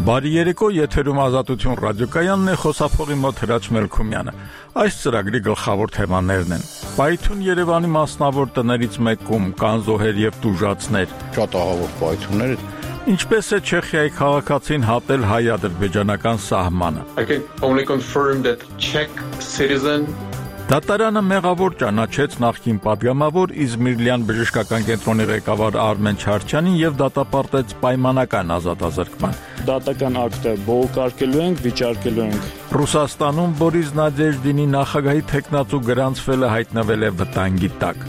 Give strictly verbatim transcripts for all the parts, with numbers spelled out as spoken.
Բարի երեկո, եթերում Ազատություն ռադիոկայանն է, խոսափողի մոտ Հրաչ Մելքումյանը։ Այս ծրագրի գլխավոր թեմաներն են. Պայթուն Երևանի մասնավոր տներից մեկում կան զոհեր եւ տուժածներ։ Շատ ահավոր պայթուններ։ Ինչպես է Չեխիայի քաղաքացին հատել հայ-ադրբեջանական սահմանը։ I can only confirm that Czech citizen Դատարանը մեղավոր ճանաչեց նախկին պատգամավոր Իզմիրլյան բժշկական կենտրոնի ղեկավար Արմեն Չարչյանին եւ դատապարտեց պայմանական ազատազրկման։ Դատական ակտը բողոքարկելու ենք, վիճարկելու ենք։ Ռուսաստանում Բորիս Նադեժդինի նախագահի թեկնածու գրանցվելը հայտնվել է վտանգի տակ։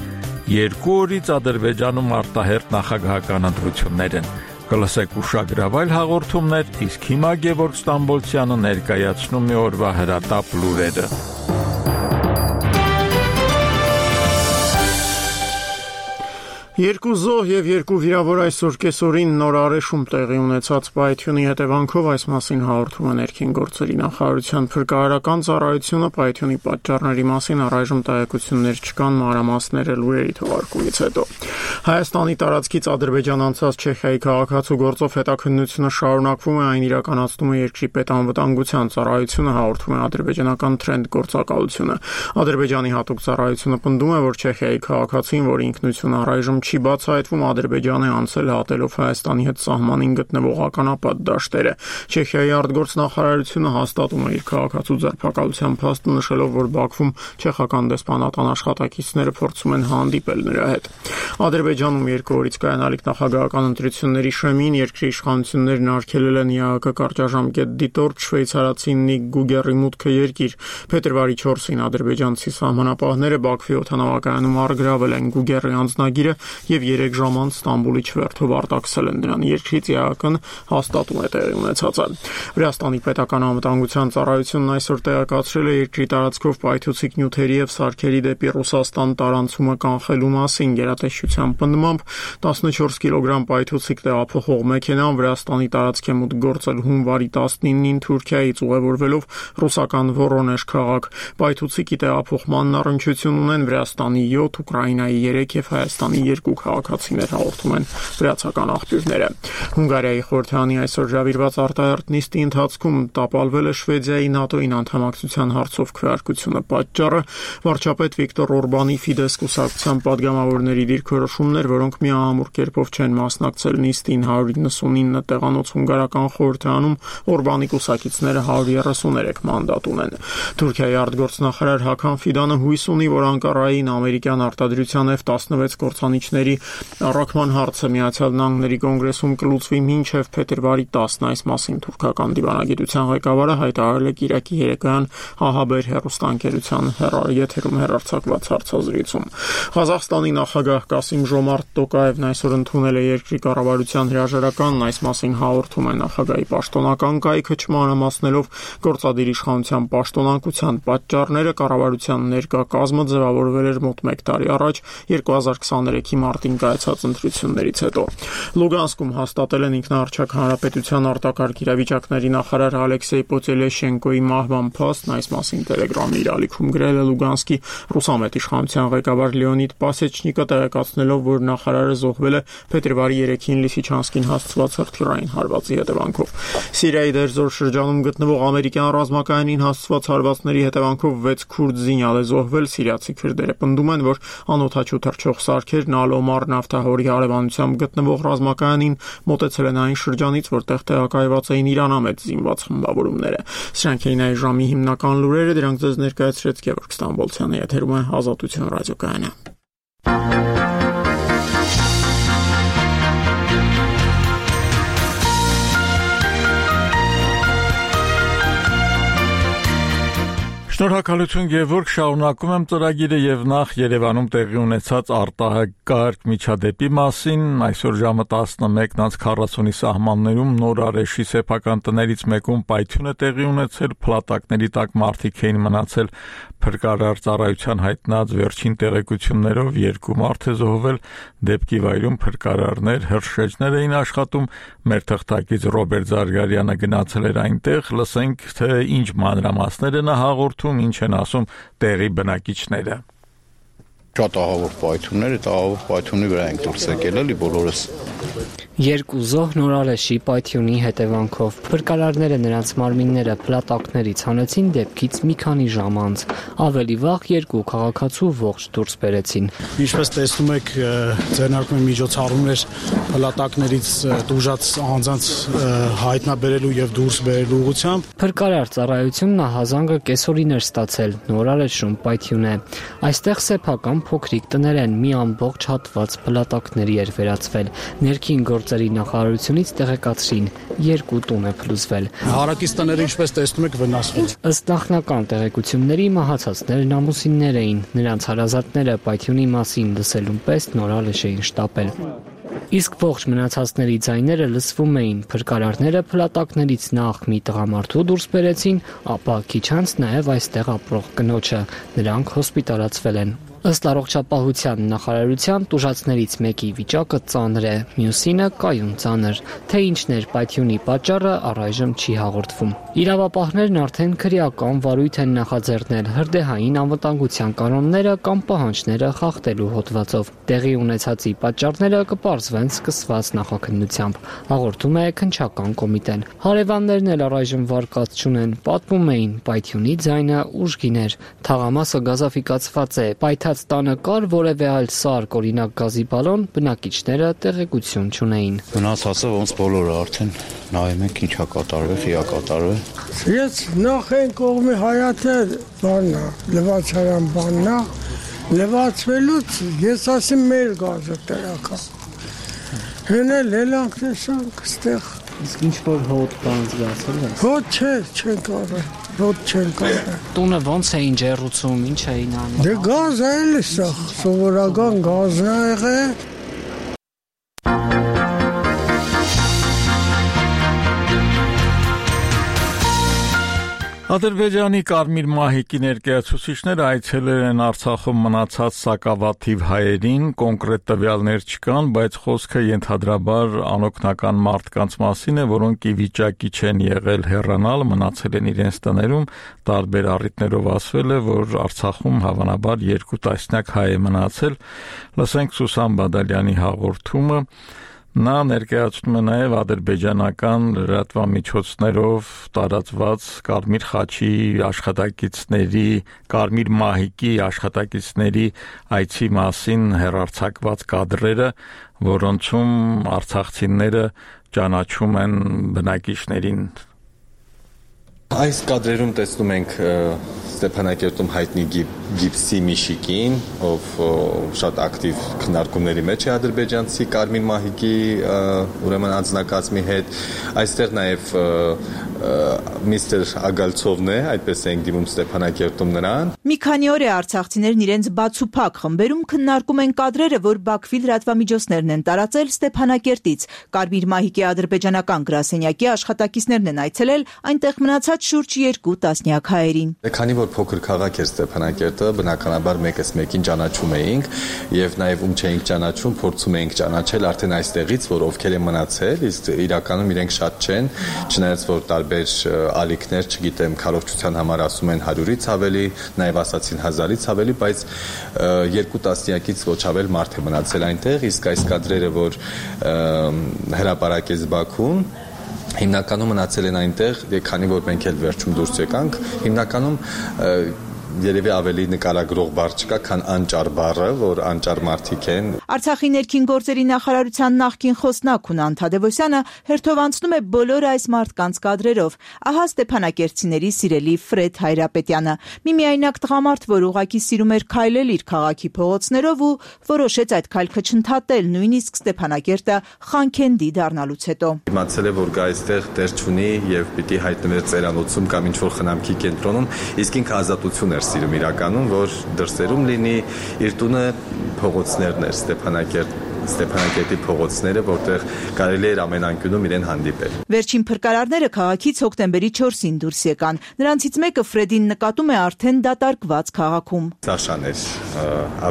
Երկու օրից Ադրբեջանում արտահերթ նախագահական ընտրություններ են։ Կլսեք ուշագրավայր հաղորդումներ, իսկ հիմա Գևորգ Ստամբոլցյանը ներկայացնում է օրվա հրատապ լուրերը։ Երկու զոհ եւ երկու վիրավոր այսօր կեսօրին նոր արեշում տեղի ունեցած պայթյունի հետևանքով այս մասին հաղորդում է ներքին գործերի նախարարության փրկարարական ծառայությունը պայթյունի պատճառների մասին առայժմ տեղեկություններ չկան մանրամասները լուրերի թողարկումից հետո։ Հայաստանի տարածքից Ադրբեջան անցած Չեխիայի քաղաքացու գործով հետաքննությունը շարունակվում է, այն իրականացնում է երկրի պետանվտանգության ծառայությունը, հաղորդում է ադրբեջանական Trend գործակալությունը։ Ադրբեջանի հատուկ ծառայությունը պնդում է, որ Չեխիայի քաղաքացին, որի ինքնությունը առայժմ չի բացահայտվում, Ադրբեջանը անցել հատելով Հայաստանի հետ սահմանին գտնվող ականապատ դաշտերը։ Չեխիայի արտգործնախարարությունը հաստատում է իր քաղաքացու ձերբակալության փաստը, նշելով, որ Բաքվում չեխական դեսպանատան աշխատակիցները փորձում են հանդիպել նրա հետ։ Ադրբեջանում երկու օրից կայանալիք նախագահական ընտրությունների շեմին երկրի իշխանություններն արգելել են ԵԱՀԿ կարճաժամկետ դիտորդ շվեյցարացի Նիկ Գուգերի մուտքը երկիր։ Փետրվարի չորսին ադրբեջանցի սահմանապահները Բաքվի օդանավակայանում առգրավել են Գուգերի անձնագիրը եւ երեք ժամ անց Ստամբուլի չվերթով արտաքսել են նրան երկրից ԵԱՀԿ-ն հաստատում է տեղի ունեցածը։ Վրաստանի պետական անվտանգության ծառայությունն այսօր տեղեկացրել է երկրի տարածքով պայթուցիկ նյութերի եւ սարքերի դեպի Ռուսաստան տարանցումը կանխելու մասին։ Գերատեսչության պնդմամբ տասնչորս կիլոգրամ պայթուցիկ տեղափոխող մեքենան Վրաստանի տարածք է մուտք գործել հունվարի տասնինին Թուրքիայից ուղևորվելով ռուսական Վորոնեժ քաղաք։ Պայթուցիկի տեղափոխման առնչություն ունեն Վրաստանի յոթ, Ուկրաինայի երեք եւ Հայաստանի երկու քաղաքացիներ, հաղորդում են վրացական աղբյուրները։ Հունգարիայի խորհրդարանի այսօր հրավիրված արտահերթ նիստի ընթացքում տապալվել է Շվեդիայի ՆԱՏՕ-ին անդամակցության հարցով քվեարկությունը։ Պատճառը վարչապետ Վիկտոր Օրբանի Ֆիդես կուսակցության падգամավորների դիրքորոշումներ, որոնք միահամուռ կերպով չեն մասնակցել նիստին։ հարյուր իննսունինը տեղանոց հունգարական խորհրդարանում Օրբանի կուսակիցները հարյուր երեսուներեք մանդատ ունեն։ Թուրքիայի արտգործնախարար Հական Ֆիդանը հույս ունի, որ Անկարային ամերիկյան արտադրության F տասնվեց կործանիչների առաքման հարցը Միացյալ Նահանգների կոնգրեսում կլուծվի մինչև փետրվարի տասն։ Այս մասին թուրքական դիվանագիտության ղեկավարը հայտարարել է Կիրակի երեկոյան ՀԱՀԲԵր հեռուստաընկերության եթերում հեռարձակված հարցազրույցում։ Ղազախստանի նախագահ Կասիմ Ժոմարտ Տոկաևն այսօր ընդունել է երկրի կառավարության հրաժարականն։ Այս մասին հաղորդում է նախագահի պաշտոնական կայքը, չմանրամասնելով գործադիր իշխանության պաշտոնակության պատճառները։ Կառավարության ներկա կազմը ձևավորվել էր մոտ մեկ տարի առաջ երկու հազար քսաներեքի մարտին կայացած ընտրություններից հետո։ Լուգանսկում հաստատել են ինքնաառչակ հանրապետության արտակարգ իրավիճակների նախարար Ալեքսեյ Պոտելեշենկոյի մահվան փաստն։ Այս մասին Տելեգրամի իր ալիքում գրել է Լուգանսկի ռուսամետ իշխանության ղեկավար Լեոնիդ Պասեչնիկը, տեղեկացնելով, որ նախարարը զոհվել է փետրվարի երեքին Լիսիչանսկին հասցված հրթիռային հարվածի հետևանքով։ Սիրիայի Դերզոր շրջանում գտնվող ամերիկյան ռազմակայանին հասցված հարվածների հետևանքով վեց քուրդ զինյալ է զոհվել։ Սիրիացի քրդերը պնդում են, որ անօդաչու թռչող սարքերն Ալ-Օմար նավթահորի հարևանությամբ գտնվող ռազմակայանին մոտեցել են այն շրջանից, որտեղ տեղակայված էին իրանամետ զինված խմբավորումները։ Սրանք էին այս ժամի հիմնական լուրերը, դրանք ձեզ ներկայացրեց Գևորգ Ստամբոլցյանը, եթերում է Ազատություն ռադիոկայանը։ Շնորհակալություն Գևորգ, շարունակում եմ ծրագիրը եւ նախ Երևանում տեղի ունեցած արտահայտարկ միջադեպի մասին։ Այսօր ժամը տասնմեկն անց քառասունի սահմաններում նոր արեշի սեփական տներից մեկում պայթյուն է տեղի ունեցել, փլատակների տակ մարդիկ էին մնացել։ Փրկարար ծառայության հայտնած վերջին տեղեկություններով երկու մարդ է զոհվել, դեպքի վայրում փրկարարներ, հրշեջներ էին աշխատում։ Մեր թղթակից Ռոբերտ Զարգարյանը գնացել էր այնտեղ, լսենք, թե ինչ մանրամասներ են հաղորդում, ինչ են ասում տեղի բնակիչները։ Շատ ահավոր պայթուններ, այդ ահավոր պայթունի վրա ենք դուրս եկել, էլի բոլորս Երկու զոհ Նորարեշի պայթյունի հետևանքով փրկարարները նրանց մարմինները փլատակներից հանեցին դեպքից մի քանի ժամ անց։ Ավելի վաղ երկու քաղաքացու ողջ դուրս բերեցին։ Ինչպես տեսնում եք, ձեռնարկում են միջոցառումներ փլատակներից դուժած անձանց հայտնաբերելու եւ դուրս բերելու ուղղությամբ։ Փրկարար ծառայությունն ահազանգը կեսօրին էր ստացել Նորարեշում պայթյուն է։ Այստեղ սեփական փոքրիկ տներ են, մի ամբողջ հատված փլատակների էր վերածվել։ Ներքին գործերի նախարարությունից տեղեկացրին, երկու տուն է փլուզվել։ Հարակից տները, ինչպես տեսնում եք, վնասվել։ Ըստ նախնական տեղեկությունների մահացածներն ամուսիններ էին, նրանց հարազատները պայթյունի մասին լսելուն պես Նորարեշ էին շտապել։ Իսկ ողջ մնացածների ձայները լսվում էին, փրկարարները փլատակներից նախ մի տղամարդու դուրս բերեցին, ապա քիչ անց նաև այստեղ ապրող կնոջը, նրանք հոսպիտալացվել են։ Ըստ առողջապահության նախարարության տուժածներից մեկի վիճակը ծանր է, մյուսինը կայուն ծանր, թե ինչն էր պայթյունի պատճառը առայժմ չի հաղորդվում։ Իրավապահներն արդեն քրեական վարույթ են նախաձեռնել հրդեհային անվտանգության կանոնները կամ պահանջները խախտելու հոդվածով։ Տեղի ունեցածի պատճառները կպարզվեն սկսված նախաքննությամբ, հաղորդում է քննչական կոմիտեն։ Հարևաններն էլ առայժմ վարկած չունեն, պատմում էին պայթյունի ձայնը ուժգին էր, թաղամասը գազաֆիկացված է, պայթած տանը կար որևէ այլ սարք, օրինակ գազի բալոն, բնակիչները տեղեկություն չունեին։ Մնացածը ոնց բոլորը արդեն նայում ենք ինչա կատարվել, ֆիա կատարվել։ Ես նախ են կողմի հայաթեր բաննա, լվացարան բաննա, լվացվելուց ես ասեմ մեր գազը տրակա։ Հենել հելանք տեսանք ստեղ։ Իսկ ինչ որ հոտ բան զգացել ես։ Հոտ չէ, չեն կարել, հոտ չեն կարել։ Տունը ոնց էին ջեռուցում, ինչ էին անում։ Դե գազ է էլի սա, սովորական գազն է եղել։ Ադրբեջանի Կարմիր մահիկի ներկայացուցիչները այցելել են Արցախում մնացած սակավաթիվ հայերին, կոնկրետ տվյալներ չկան, բայց խոսքը ենթադրաբար անօգնական մարդկանց մասին է, որոնք ի վիճակի չեն եղել հեռանալ, մնացել են իրենց տներում, տարբեր առիթներով ասվել է, որ Արցախում հավանաբար երկու տասնյակ հայ է մնացել։ Լսենք Սուսան Բադալյանի հաղորդումը։ Նա ներկայացնում է նաև ադրբեջանական լրատվամիջոցներով տարածված Կարմիր խաչի աշխատակիցների, Կարմիր մահիկի աշխատակիցների այցի մասին հեռարձակված կադրերը, որոնցում արցախցիները ճանաչում են բնակիչներին։ Այս կադրերում տեսնում ենք Ստեփանակերտում հայտնի Գիբսի Միշիկին, ով շատ ակտիվ քննարկումների մեջ է ադրբեջանցի Կարմիր մահիկի ուրեմն անձնակազմի հետ։ Այստեղ նաև միստր Ագալցովն է, այդպես ենք դիմում Ստեփանակերտում նրան։ Մի քանի օր է արցախցիներն իրենց բացուփակ խմբերում քննարկում են կադրերը, որ Բաքվի լրատվամիջոցներն են տարածել Ստեփանակերտից։ Կարմիր մահիկի ադրբեջանական գրասենյակի աշխատակիցներն են այցելել այնտեղ մնացած շուրջ երկու տասնյակ հայերին։ Քանի որ փոքր քաղաք էր Ստեփանակերտը, բնականաբար մեկս մեկին ճանաչում էինք եւ նաեւ ում չէինք ճանաչում, փորձում էինք ճանաչել արդեն այստեղից, որ ովքեր են մնացել, իսկ իրականում իրենք շատ չեն, չնայած որ տարբեր ալիքներ, չգիտեմ, քարոզչության համար ասում են հարյուրից ավելի, նաեւ ասացին հազարից ավելի, բայց երկու տասնյակից ոչ ավել մարդ է մնացել այնտեղ, իսկ այս կադրերը, որ հրապարակեց Բաքուն, հիմնականում մնացել են այնտեղ, քանի որ մենք էլ վերջում դուրս եկանք, հիմնականում երևի ավելի նկարագրող բառ չկա, քան անճար բառը, որ անճար մարդիկ են։ Արցախի ներքին գործերի նախարարության նախկին խոսնակ Հունան Թադևոսյանը հերթով անցնում է բոլոր այս մարդկանց կադրերով։ Ահա Ստեփանակերտցիների սիրելի Ֆրեդ Հայրապետյանը, մի միայնակ տղամարդ, որ ուղղակի սիրում էր քայլել իր քաղաքի փողոցներով ու որոշեց այդ քայլքը չընդհատել, նույնիսկ Ստեփանակերտը Խանքենդի դառնալուց հետո։ Իմացել է, որ գա այստեղ տեղ չունի եւ պիտի հայտնվեր ծերանոցում կամ ինչ-որ խնամքի կենտրոնում, իսկ ինքը ազատություն էր սիրում իրականում, որ դրսերում լինի, իր տունը փողոցներն էր, Ստեփանակերտ Ստեփանակերտի փողոցները, որտեղ կարելի էր ամեն անկյունում իրեն հանդիպել։ Վերջին փրկարարները քաղաքից հոկտեմբերի չորսին դուրս եկան։ Նրանցից մեկը Ֆրեդին նկատում է արդեն դատարկված քաղաքում։ Սաշան էր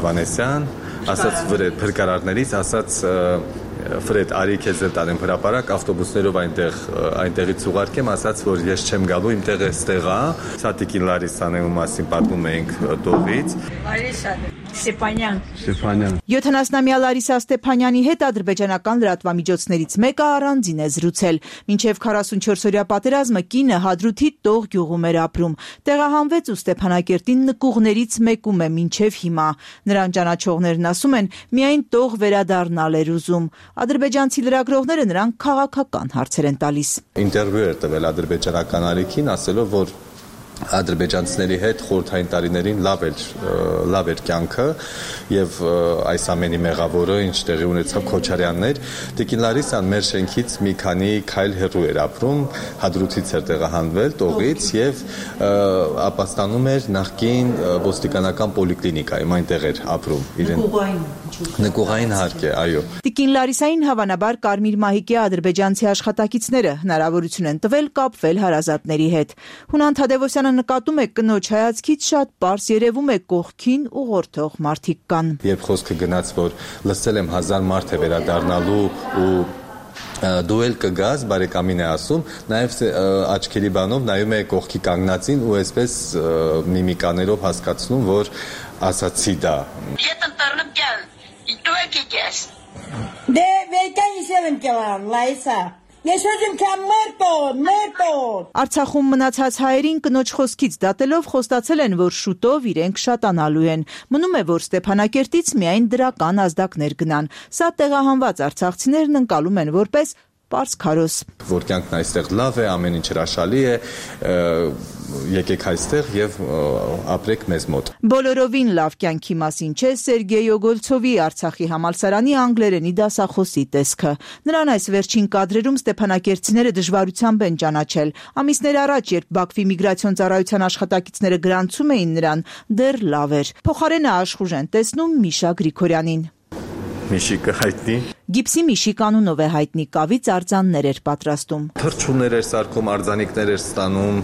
Ավանեսյան, ասաց փրկարարներից, ասաց Ֆրեդ, արի քեզ էլ տանեմ հրապարակ, ավտոբուսներով այնտեղ այնտեղից ուղարկեմ, ասաց, որ ես չեմ գալու, իմ տեղը ստեղ է։ Սատիկին Լարիսանելու մասին պատմում էինք տողից։ Լարիսա Ստեփանյան։ Ստեփանյան։ յոթանասյա Լարիսա Ստեփանյանի հետ ադրբեջանական լրատվամիջոցներից մեկը առանձին է զրուցել։ Մինչև քառասունչորսօրյա պատերազմը կինը Հադրութի Տող գյուղում էր ապրում։ Տեղահանվեց ու Ստեփանակերտին նկուղներից մեկում է մինչև հիմա։ Նրան ճանաչողներն ասում են, միայն Տող վերադառնալ էր ուզում։ Ադրբեջանցի լրագրողները նրան քաղաքական հարցեր են տալիս։ Ինտերվյու էր տվել ադրբեջանական արիքին, ասելով, որ ադրբեջանցիների հետ խորհրդային տարիներին լավ էր լավ էր կյանքը եւ այս ամենի մեղավորը ինչ տեղի ունեցավ Քոչարյանն էր։ Տիկին Լարիսան մեր շենքից մի քանի քայլ հեռու էր ապրում, Հադրութից էր տեղահանվել Տողից եւ ապաստանում էր նախկին ոստիկանական պոլիկլինիկայում, այնտեղ էր ապրում իրեն նկուղային հարկ է, այո։ Տիկին Լարիսային հավանաբար Կարմիր մահիկի ադրբեջանցի աշխատակիցները հնարավորություն են տվել կապվել հարազատների հետ։ Հունան Թադևոսյանը նկատում է կնոջ հայացքից շատ պարզ երևում է կողքին ուղղորդող մարդիկ կան։ Երբ խոսքը գնաց, որ լսել եմ հազար մարդ է վերադառնալու ու դու էլ կգաս, բարեկամին է ասում, նաև աչքերի բանով նայում է կողքի կանգնածին ու այսպես միմիկաներով հասկացնում, որ ասացի դա։ Դե վեկան իսել եմ կելան, Լայսա։ Ես ուզում կամ մերտոն, մերտոն։ Արցախում մնացած հայերին կնոջ խոսքից դատելով խոստացել են, որ շուտով իրենք շատանալու են։ Մնում է, որ Ստեփանակերտից միայն դրական ազդակներ գնան։ Սա տեղահանված արցախցիներն ընկալում են որպես պարզ քարոզ։ Որ կյանքն այստեղ լավ է, ամեն ինչ հրաշալի է, եկեք այստեղ եւ ապրեք մեզ մոտ։ Բոլորովին լավ կյանքի մասին չէ Սերգեյ Օգոլցովի Արցախի համալսարանի անգլերենի դասախոսի տեսքը։ Նրան այս վերջին կադրերում ստեփանակերտցիները դժվարությամբ են ճանաչել։ Ամիսներ առաջ, երբ Բաքվի միգրացիոն ծառայության աշխատակիցները գրանցում էին նրան, դեռ լավ էր։ Փոխարենը աշխուժ են տեսնում Միշա Գրիգորյանին։ Միշիկը հայտնի։ Գիպսի Միշիկ անունով է հայտնի, կավից արձաններ էր պատրաստում։ Թռչուններ էր սարքում, արձանիկներ էր ստանում,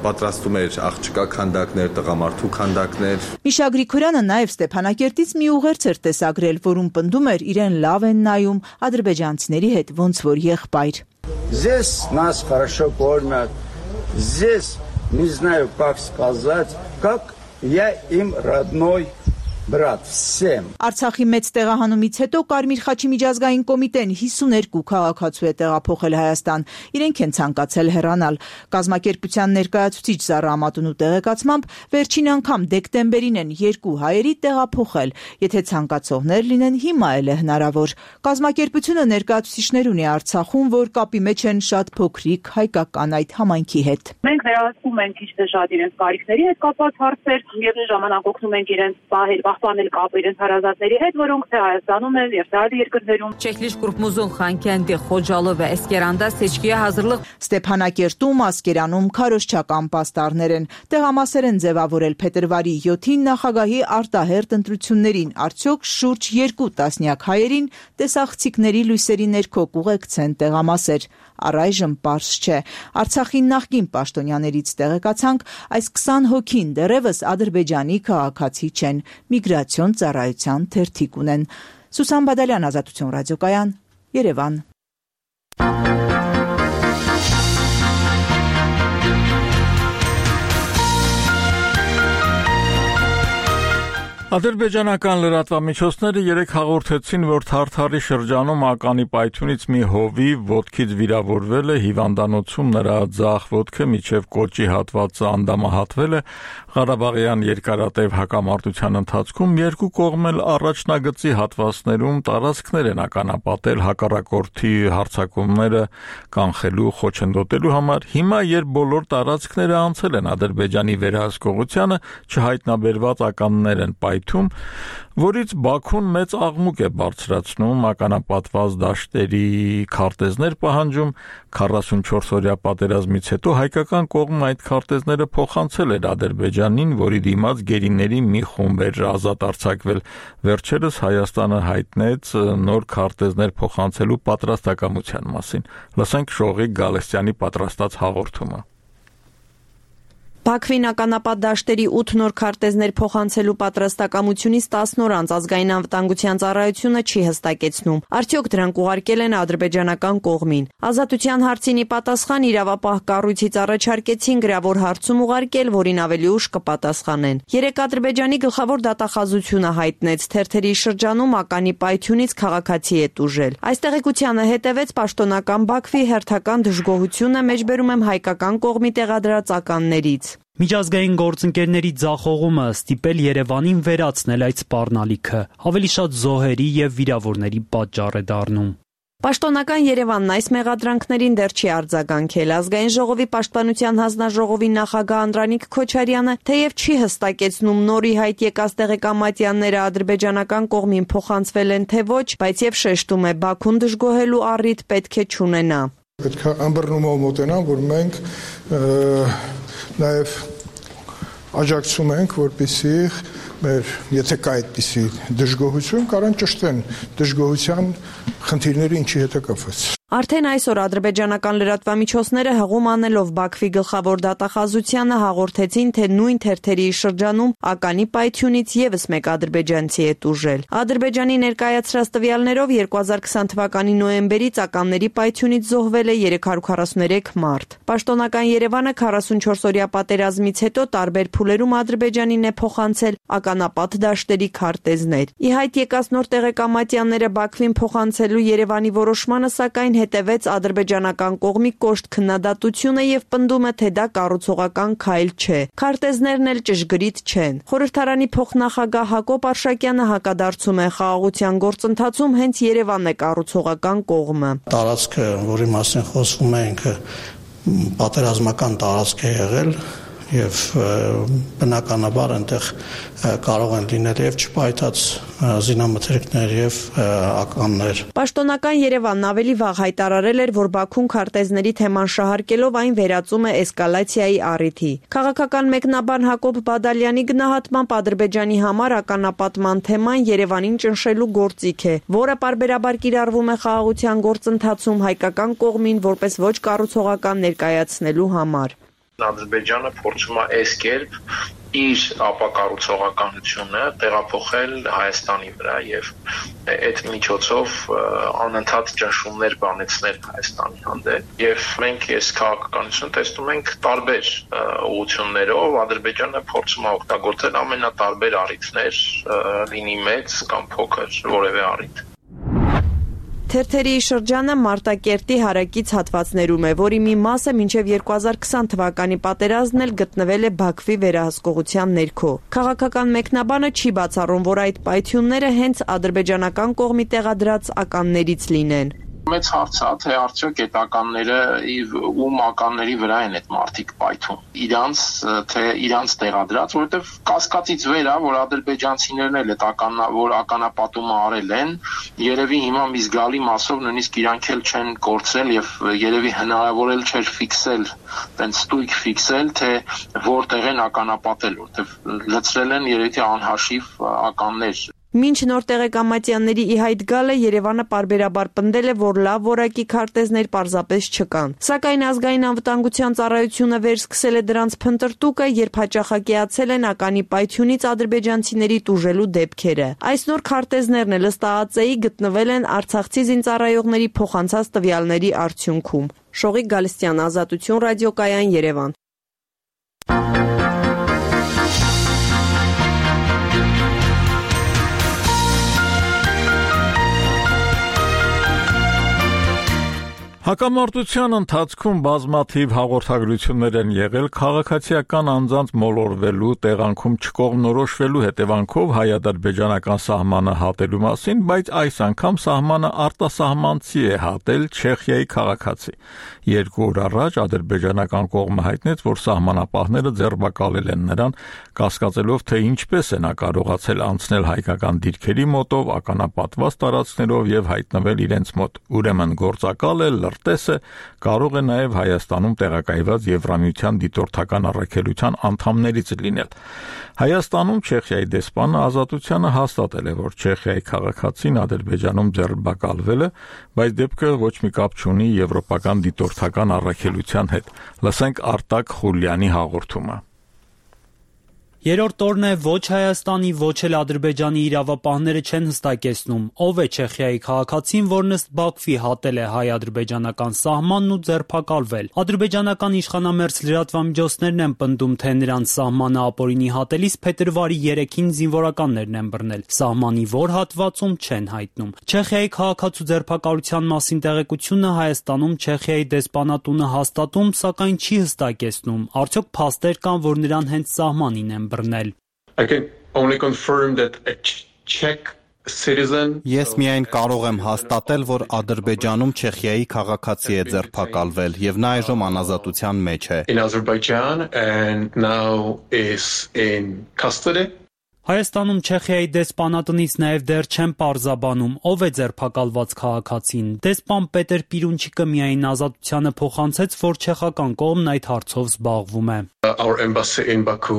պատրաստում էր աղջկա քանդակներ, տղամարդու քանդակներ։ Միշա Գրիգորյանը նաև Ստեփանակերտից մի ուղերձ էր տեսագրել, որում պնդում էր իրեն լավ են նայում ադրբեջանցիների հետ ոնց որ եղբայր։ Здесь нас хорошо кормят. Здесь не знаю, как сказать, как я им родной Բրատ, всем։ Արցախի մեծ տեղահանումից հետո Կարմիր խաչի միջազգային կոմիտեն հիսուներկու քաղաքացու է տեղափոխել Հայաստան։ Իրենք են ցանկացել հեռանալ։ Կազմակերպության ներկայացուցիչ Զարա Ամատունու տեղեկացմամբ վերջին անգամ դեկտեմբերին են երկու հայերի տեղափոխել։ Եթե ցանկացողներ լինեն, հիմա էլ է հնարավոր։ Կազմակերպությունը ներկայացուցիչներ ունի Արցախում, որ կապի մեջ են շատ փոքրիկ հայկական այդ համայնքի հետ։ Մենք վերահսկում ենք քիչ թե շատ իրենց կարիքների հետ կապված հարցեր, միևնույն ժամանակ օգնում ենք իրենց պահել պահպանել կապը իրենց հարազատների հետ, որոնք թե Հայաստանում են եւ թե այլ երկրներում։ Çekiliş grubumuzun Xankəndi, Xocalı və Əsgəranda seçkiyə hazırlıq Ստեփանակերտում, Ասկերանում քարոզչական պաստառներ են։ Տեղամասեր են ձևավորել փետրվարի յոթին նախագահի արտահերտ ընտրություններին, արդյոք շուրջ երկու տասնյակ հայերին տեսախցիկների լույսերի ներքո կուղեկցեն տեղամասեր։ Առայժմ պարզ չէ։ Արցախի նախկին պաշտոնյաներից տեղեկացանք, այս քսան հոգին դեռևս Ադրբեջանի քաղաքացի չեն, միգրացիոն ծառայության թերթիկ ունեն։ Սուսան Բադալյան, Ազատություն ռադիոկայան, Երևան։ Ադրբեջանական լրատվամիջոցները երեկ հաղորդեցին, որ Թարթարի շրջանում ականի պայթյունից մի հովի ոտքից վիրավորվել է, հիվանդանոցում նրա ձախ ոտքը մինչև կոճի հատվածը անդամահատվել է։ Ղարաբաղյան երկարատև հակամարտության ընթացքում երկու կողմն էլ առաջնագծի հատվածներում տարածքներ են ականապատել հակառակորդի հարձակումները կանխելու, խոչընդոտելու համար։ Հիմա, երբ բոլոր տարածքները անցել են Ադրբեջանի վերահսկողությանը, չհայտնաբերված ականներ են պայթում, որից Բաքուն մեծ աղմուկ է բարձրացնում, ականապատված դաշտերի քարտեզներ պահանջում։ քառասունչորս-օրյա պատերազմից հետո հայկական կողմն այդ քարտեզները փոխանցել էր Ադրբեջանին, որի դիմաց գերիների մի խումբ էր ազատ արձակվել։ Վերջերս Հայաստանը հայտնեց նոր քարտեզներ փոխանցելու պատրաստակամության մասին։ Լսենք Շողիկ Գալստյանի պատրաստած հաղորդումը։ Բաքվին ականապատ դաշտերի ութ նոր քարտեզներ փոխանցելու պատրաստակամությունից տասն օր անց ազգային անվտանգության ծառայությունը չի հստակեցնում, արդյոք դրանք ուղարկել են ադրբեջանական կողմին։ Ազատության հարցին ի պատասխան իրավապահ կառույցից առաջարկեցին գրավոր հարցում ուղարկել, որին ավելի ուշ կպատասխանեն։ Երեկ Ադրբեջանի գլխավոր դատախազությունը հայտնեց թերթերի շրջանում ականի պայթյունից քաղաքացի է տուժել։ Այս տեղեկությանը հետևեց պաշտոնական Բաքվի հերթական դժգոհությունը, մեջբերում եմ հայկական կողմի տեղադրած ականներից։ Միջազգային գործընկերների ձախողումը ստիպել Երևանին վերացնել այդ սպառնալիքը, ավելի շատ զոհերի եւ վիրավորների պատճառ է դառնում։ Պաշտոնական Երևանն այս մեղադրանքներին դեռ չի արձագանքել։ Ազգային ժողովի պաշտպանության հանձնաժողովի նախագահ Անդրանիկ Քոչարյանը թեև չի հստակեցնում նոր ի հայտ եկած տեղեկամատյանները ադրբեջանական կողմին փոխանցվել են թե ոչ, բայց եւ շեշտում է Բաքուն դժգոհելու առիթ պետք է չունենա։ Պետք է ըմբռնումով մոտենան, որ մենք նաև աջակցում ենք, որպեսզի մեր եթե կա այդպիսի դժգոհություն, կարան ճշտեն դժգոհության խնդիրները ինչի հետ է կապված։ Արդեն այսօր ադրբեջանական լրատվամիջոցները հղում անելով Բաքվի գլխավոր դատախազությանը հաղորդեցին, թե նույն թերթերի շրջանում ականի պայթյունից եւս մեկ ադրբեջանցի է տուժել։ Ադրբեջանի ներկայացրած տվյալներով երկու հազար քսան թվականի նոյեմբերից ականների պայթյունից զոհվել է երեք հարյուր քառասուներեք մարդ։ Պաշտոնական Երևանը քառասունչորս օրյա պատերազմից հետո տարբեր փուլերում Ադրբեջանին է փոխանցել ականապատ դաշտերի քարտեզներ։ Ի հայտ եկած նոր տեղեկամատյանները Բաքվին փոխանցելու Երևանի որոշմանը սակայն հետևեց ադրբեջանական կողմի կոշտ քննադատությունը եւ պնդում է, թե դա կառուցողական քայլ չէ։ Քարտեզներն էլ ճշգրիտ չեն։ Խորհրդարանի փոխնախագահ Հակոբ Արշակյանը հակադարձում է, խաղաղության գործընթացում հենց Երևանն է կառուցողական կողմը։ Տարածքը, որի մասին խոսվում է, ինքը պատերազմական տարածք է եղել եւ բնականաբար այնտեղ կարող են լինել եւ չպայթած զինամթերքներ եւ ականներ։ Պաշտոնական Երևանն ավելի վաղ հայտարարել էր, որ Բաքուն քարտեզների թեման շահարկելով այն վերածում է էսկալացիայի առիթի։ Քաղաքական մեկնաբան Հակոբ Բադալյանի գնահատմամբ Ադրբեջանի համար ականապատման թեման Երևանին ճնշելու գործիք է, որը պարբերաբար կիրառվում է խաղաղության գործընթացում հայկական կողմին որպես ոչ կառուցողական ներկայացնելու համար։ Ադրբեջանը փորձում է այս կերպ իր ապակառուցողականությունը տեղափոխել Հայաստանի վրա եւ այդ միջոցով անընդհատ ճնշումներ բանեցնել Հայաստանի հանդեպ եւ մենք այս քաղաքականությունը տեսնում ենք տարբեր ուղղություններով Ադրբեջանը փորձում է օգտագործել ամենատարբեր առիթներ, լինի մեծ կամ փոքր որևէ առիթ։ Թերթերի շրջանը Մարտակերտի հարակից հատվածներում է, որի մի մասը մինչև երկու հազար քսան թվականի պատերազմն էլ գտնվել է Բաքվի վերահսկողության ներքո։ Քաղաքական մեկնաբանը չի բացառում, որ այդ պայթյունները հենց ադրբեջանական կողմի տեղադրած ականներից լինեն։ Մեծ հարց է, թե արդյոք այդ ականները ում ականների վրա են այդ մարդիկ պայթում։ Իրանց թե իրանց տեղադրած, որովհետև կասկածից վեր է, որ ադրբեջանցիներն էլ այդ ականա, որ ականապատումը արել են, երևի հիմա մի զգալի մասով նույնիսկ իրանք էլ չեն կորցրել եւ երևի հնարավոր էլ չէր ֆիքսել, տենց ստույգ ֆիքսել, թե որտեղ են ականապատել, որովհետև լցրել են երևի անհաշիվ ականներ։ Մինչ նոր տեղեկամատյանների ի հայտ գալը Երևանը պարբերաբար պնդել է, որ լավ որակի քարտեզներ պարզապես չկան։ Սակայն ազգային անվտանգության ծառայությունը վերսկսել է դրանց փնտրտուկը, երբ հաճախակիացել են ականի պայթյունից ադրբեջանցիների տուժելու դեպքերը։ Այս նոր քարտեզներն էլ ըստ ԱԱԾ-ի գտնվել են արցախցի զինծառայողների փոխանցած տվյալների արդյունքում։ Շողիկ Գալստյան, Ազատություն ռադիոկայան, Երևան։ Հակամարտության ընթացքում բազմաթիվ հաղորդագրություններ են եղել քաղաքացիական անձանց մոլորվելու, տեղանքում չկողմնորոշվելու հետևանքով հայ-ադրբեջանական սահմանը հատելու մասին, բայց այս անգամ սահմանը արտասահմանցի է հատել Չեխիայի քաղաքացի։ Երկու օր առաջ ադրբեջանական կողմը հայտնեց, որ սահմանապահները ձերբակալել են նրան, կասկածելով, թե ինչպես է նա կարողացել անցնել հայկական դիրքերի մոտով, ականապատված տարածքներով եւ հայտնվել իրենց մոտ։ Ուրեմն գործակալ է, լրտես է, կարող է նաև Հայաստանում տեղակայված Եվրամիության դիտորդական առաքելության անդամներից լինել։ Հայաստանում Չեխիայի դեսպանը Ազատությանը հաստատել է, որ Չեխիայի քաղաքացին Ադրբեջանում ձերբակալվել է, բայց դեպքը ոչ մի կապ չունի եվրոպական դիտորդական առաքելության հետ։ Լսենք Արտակ Խուլյանի հաղորդումը։ Երրորդ օրն է ոչ Հայաստանի, ոչ էլ Ադրբեջանի իրավապահները չեն հստակեցնում, ով է Չեխիայի քաղաքացին, որն ըստ Բաքվի հատել է հայ-ադրբեջանական սահմանն ու ձերբակալվել։ Ադրբեջանական իշխանամերձ լրատվամիջոցներն են պնդում, թե նրանց սահմանը ապօրինի հատելիս փետրվարի երեքին զինվորականներն են բռնել։ Սահմանի որ հատվածում չեն հայտնում։ Չեխիայի քաղաքացու ձերբակալության մասին տեղեկությունը Հայաստանում Չեխիայի դեսպանատունը հաստատում, սակայն չի հստակեցնում, արդյոք փաստեր կան, որ նրան հենց սահմանին են բռնել։ I can only confirm that a Czech citizen Ես միայն կարող եմ հաստատել, որ Ադրբեջանում Չեխիայի քաղաքացի է ձերբակալվել եւ նա այժմ անազատության մեջ է։ in Azerbaijan and now is in custody. Հայաստանում Չեխիայի դեսպանատնից նաև դեռ չեն պարզաբանում, ով է ձերբակալված քաղաքացին։ Դեսպան Պետեր Պիրունչիկը միայն ազատությանը փոխանցեց, որ չեխական կողմն այդ հարցով զբաղվում է։ Our embassy in Baku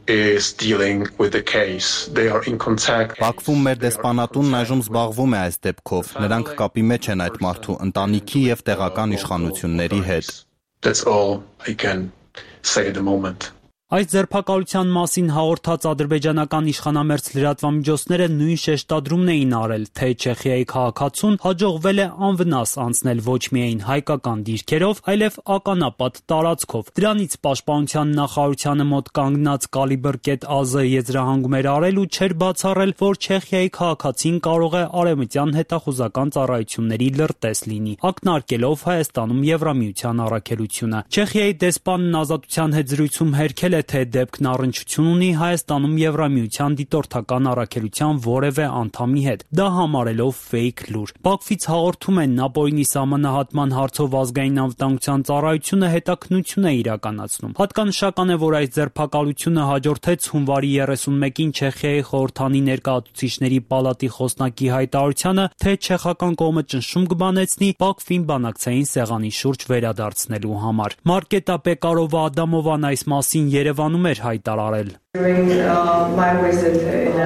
is dealing with the case. They are in contact. Բաքվում մեր դեսպանատունն այժմ զբաղվում է այս դեպքով։ Նրանք կապի մեջ են այդ մարդու ընտանիքի եւ տեղական իշխանությունների հետ։ That's all I can say at the moment. Այս ձերբակալության մասին հաղորդած ադրբեջանական իշխանամերձ լրատվամիջոցները նույն շեշտադրումն էին արել, թե Չեխիայի քաղաքացուն հաջողվել է անվնաս անցնել ոչ միայն հայկական դիրքերով, այլև ականապատ տարածքով։ Դրանից պաշտպանության նախարարությանը մոտ կանգնած Կալիբր.az-ը եզրահանգում էր արել ու չէր բացառել, որ Չեխիայի քաղաքացին կարող է արևմտյան հետախուզական ծառայությունների լրտես լինի, ակնարկելով Հայաստանում Եվրամիության առաքելությունը։ Չեխիայի դեսպանն ազատության հետ զրույցում հերքել թե դեպքն առնչություն ունի Հայաստանում Եվրամիության դիտորդական առաքելության որևէ անդամի հետ, դա համարելով ֆեյք լուր։ Բաքվից հաղորդում են ապօրինի սահմանահատման հարցով ազգային անվտանգության ծառայությունը հետաքննություն է իրականացնում։ Հատկանշական է, որ այս ձերբակալությունը հաջորդեց հունվարի երեսունմեկին Չեխիայի խորհրդանի ներկայացուցիչների պալատի խոսնակի հայտարարությանը, թե չեխական կողմը ճնշում կբանեցնի Բաքվին բանակցային սեղանի շուրջ վերադարձնելու համար։ Մարկետա Պեկարովա Ադամովան այս մասին Երևանում էր հայտարարել։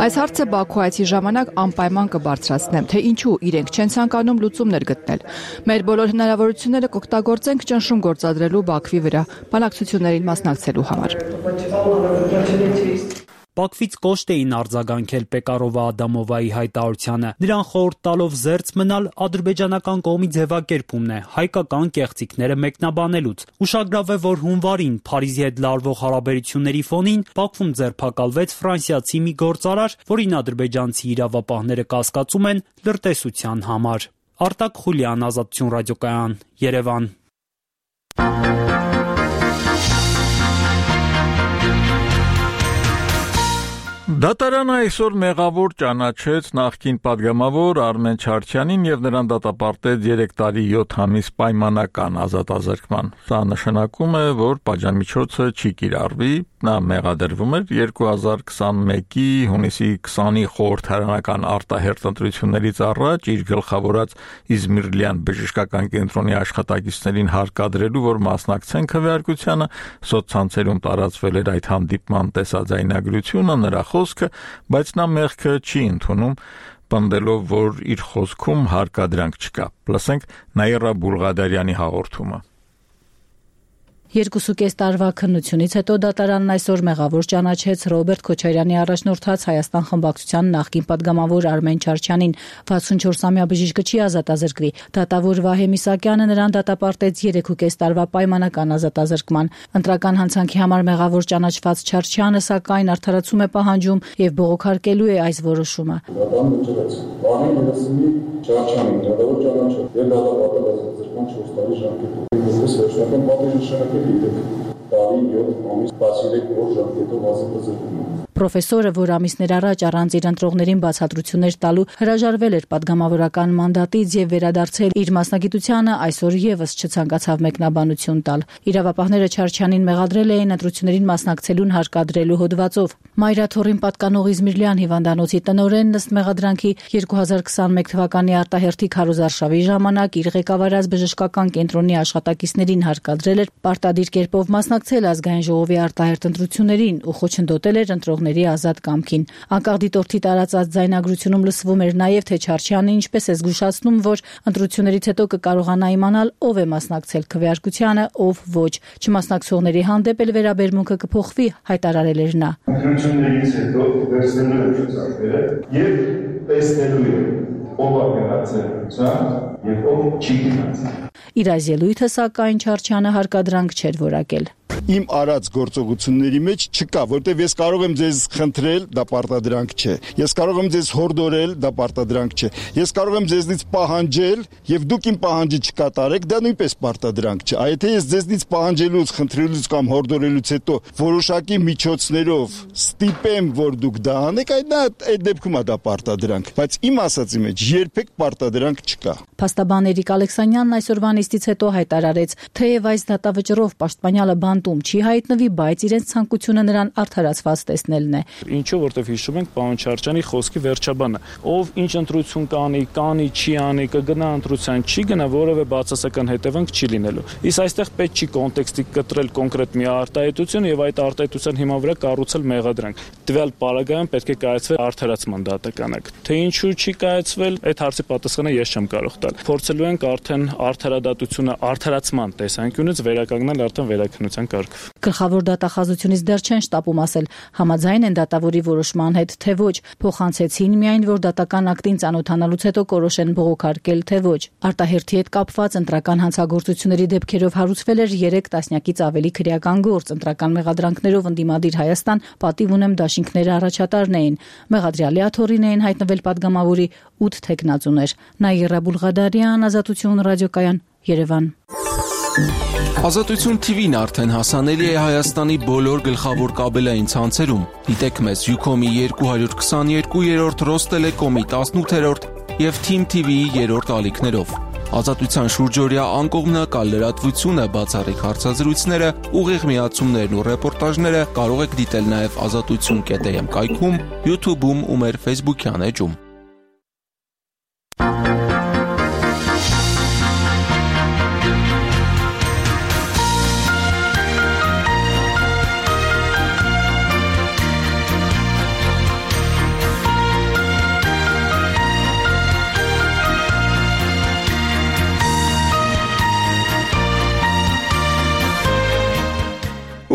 Այս հարցը Բաքու այցի ժամանակ անպայման կբարձրացնեմ, թե ինչու իրենք չեն ցանկանում լուծումներ գտնել։ Մեր բոլոր հնարավորությունները կօգտագործենք ճնշում գործադրելու Բաքվի վրա, բանակցություններին մասնակցելու համար։ Բաքվից կոշտ էին արձագանքել Պեկարովա Ադամովայի հայտարարությանը։ Նրան խորհուրդ տալով զերծ մնալ ադրբեջանական կողմի ձևակերպումն է հայկական կեղծիքները մեկնաբանելուց։ Ուշագրավ է, որ հունվարին Փարիզի հետ լարվող հարաբերությունների ֆոնին Բաքվում ձերբակալվեց ֆրանսիացի մի գործարար, որին ադրբեջանցի իրավապահները կասկածում են լրտեսության համար։ Արտակ Խուլյան, Ազատություն ռադիոկայան, Երևան։ Դատարանը այսօր մեղավոր ճանաչեց նախկին падգամավոր Արմեն Չարչյանին եւ նրան դատապարտեց երեք տարի յոթ ամիս պայմանական ազատազրկման։ Սա նշանակում է, որ պատժամիջոցը չի կիրառվի, նա մեղադրվում էր երկու հազար քսանմեկի հունիսի քսանի խորհրդարանական արտահերթ ընտրություններից առաջ իր գլխավորած Իզմիրլյան բժշկական կենտրոնի աշխատակիցներին հարկադրելու, որ մասնակցեն քվեարկությանը, սոցցանցերում տարածվել էր այդ հանդիպման տեսաձայնագրությունը, նրա խոսքը, բայց նա մեղքը չի ընդունում, պնդելով, որ իր խոսքում հարկադրանք չկա։ Լսենք Նաիրա Բուլղադարյանի հաղորդումը։ Երկուսուկես տարվա քննությունից հետո դատարանն այսօր մեղավոր ճանաչեց Ռոբերտ Քոչարյանի առաջնորդած Հայաստան խմբակցության նախկին падգամավոր Արմեն Չարչյանին։ վաթսունչորսամյա բժիշկը չի ազատազրկվի։ Դատավոր Վահե Միսակյանը նրան դատապարտեց երեքուկես տարվա պայմանական ազատազրկման։ Ընտրական հանցանքի համար մեղավոր ճանաչված Չարչյանը սակայն արդարացում է պահանջում եւ բողոքարկելու է այս որոշումը։ Չարչյանին դատավոր ճանաչել եւ դատապարտել ազատազրկման չորս տարի ժամկետով։ Որպես վերջնական պատիժ նշանակել իդեպ տարի յոթ ամիս տասներեք օր ժամկետով ազատազրկում։ Պրոֆեսորը, որ ամիսներ առաջ առանց իր ընտրողներին բացատրություններ տալու հրաժարվել էր падգամավորական մանդատից եւ վերադարձել իր մասնագիտությանը, այսօր եւս չցանկացավ մեկնաբանություն տալ։ Իրավապահները Չարչյանին մեղադրել էին ընտրություններին մասնակցելուն հարկադրելու հոդվածով։ Մայրաթորին պատկանող Իզմիրլյան հիվանդանոցի տնօրենն ըստ մեղադրանքի երկու հազար քսանմեկ թվականի արտահերթի քարոզարշավի ժամանակ իր ղեկավարած բժշկական կենտրոնի աշխատակիցներին հարկադրել էր պարտադիր կերպով մասնակցել ազգային ժողովի արտահերթ ընտրություններին ու խոչընդոտել էր ընտրողների ընտրողների ազատ կամքին։ Անկախ դիտորդի տարածած ձայնագրությունում լսվում էր նաև, թե Չարչյանը ինչպես է զգուշացնում, որ ընտրություններից հետո կկարողանա իմանալ ով է մասնակցել քվեարկությանը, ով ոչ։ Չմասնակցողների հանդեպ էլ վերաբերմունքը կփոխվի, հայտարարել էր նա։ Ընտրություններից հետո վերցնելու է ցուցակները եւ տեսնելու է ով է գնացել ցուցակ եւ ով չի գնացել։ Իր այս ելույթը, սակայն, Չարչյանը հարկադրանք չէր որակել։ Իմ արած գործողությունների մեջ չկա, որտեվ ես կարող եմ ձեզ խնդրել, դա պարտադրանք չէ։ Ես կարող եմ ձեզ հորդորել, դա պարտադրանք չէ։ Ես կարող եմ ձեզնից պահանջել, եւ դուք իմ պահանջը չկատարեք, դա նույնպես պարտադրանք չէ։ Եթե ես ձեզնից պահանջելուց, խնդրելուց կամ հորդորելուց հետո որոշակի միջոցներով ստիպեմ, որ դուք դա անեք, այդ դա այդ դեպքում է դա պարտադրանք, բայց իմ ասածի մեջ երբեք պարտադրանք չկա։ Փաստաբան Էրիկ Ալեքսանյանն այսօրվա նիստից հետո հայտարարեց, թեև այս դատավճռով պաշտպանյալը բանտում չի հայտնվի, բայց իրենց ցանկությունը նրան արդարացված տեսնելն է։ Ինչու, որտեվ հիշում ենք պարոն Չարչյանի խոսքի վերջաբանը, ով ինչ ընտրություն կանի, կանի, չի անի, կգնա ընտրության, չի գնա, որևէ բացասական հետևանք չի լինելու։ Իսկ այստեղ պետք չի կոնտեքստի կտրել կոնկրետ մի արտահայտություն եւ այդ արտահայտության հիման վրա կառուցել մեղադրանք։ Տվյալ պարագայում պետք է կայացվի արդարացման դատականակ։ Թե ինչու չի կայացվել, այդ հարցի պատասխանը ես չեմ կարող տալ։ Փորձելու ենք արդեն արդարադատությունը արդարացման տեսանկյունից վերականգնել արդեն վերաքննության կարգով։ Գլխավոր դատախազությունից դեռ չեն շտապում ասել, համաձայն են դատավորի որոշման հետ, թե ոչ, փոխանցեցին միայն, որ դատական ակտին ծանոթանալուց հետո կորոշեն բողոքարկել, թե ոչ։ Արտահերթի հետ կապված ընտրական հանցագործությունների դեպքերով հարուցվել էր երեք տասնյակից ավելի քրեական գործ, ընտրական մեղադրանքներով ընդդիմադիր Հայաստան պատիվ ունեմ դաշինքները առաջատարն էին։ Մեղադրյալի աթոռին էին հայտնվել падգամավորի ութ թեկնածուներ։ Նաիրա Բուլղադարյան, Ազատություն ռադիոկայան, Երևան։ Ազատություն T V-ն արդեն հասանելի է Հայաստանի բոլոր գլխավոր կաբելային ցանցերում։ Դիտեք մեզ Յուքոմի երկու քսաներկու երրորդ, Ռոստելեկոմի տասնութերորդ եւ Թիմ T V-ի երրորդ ալիքներով։ Ազատության շուրջօրյա անկողմնակալ լրատվությունը, բացառիկ հարցազրույցները, ուղիղ միացումներն ու ռեպորտաժները կարող եք դիտել նաեւ ազատություն կետ am կայքում, YouTube-ում ու մեր Facebook-յան էջում։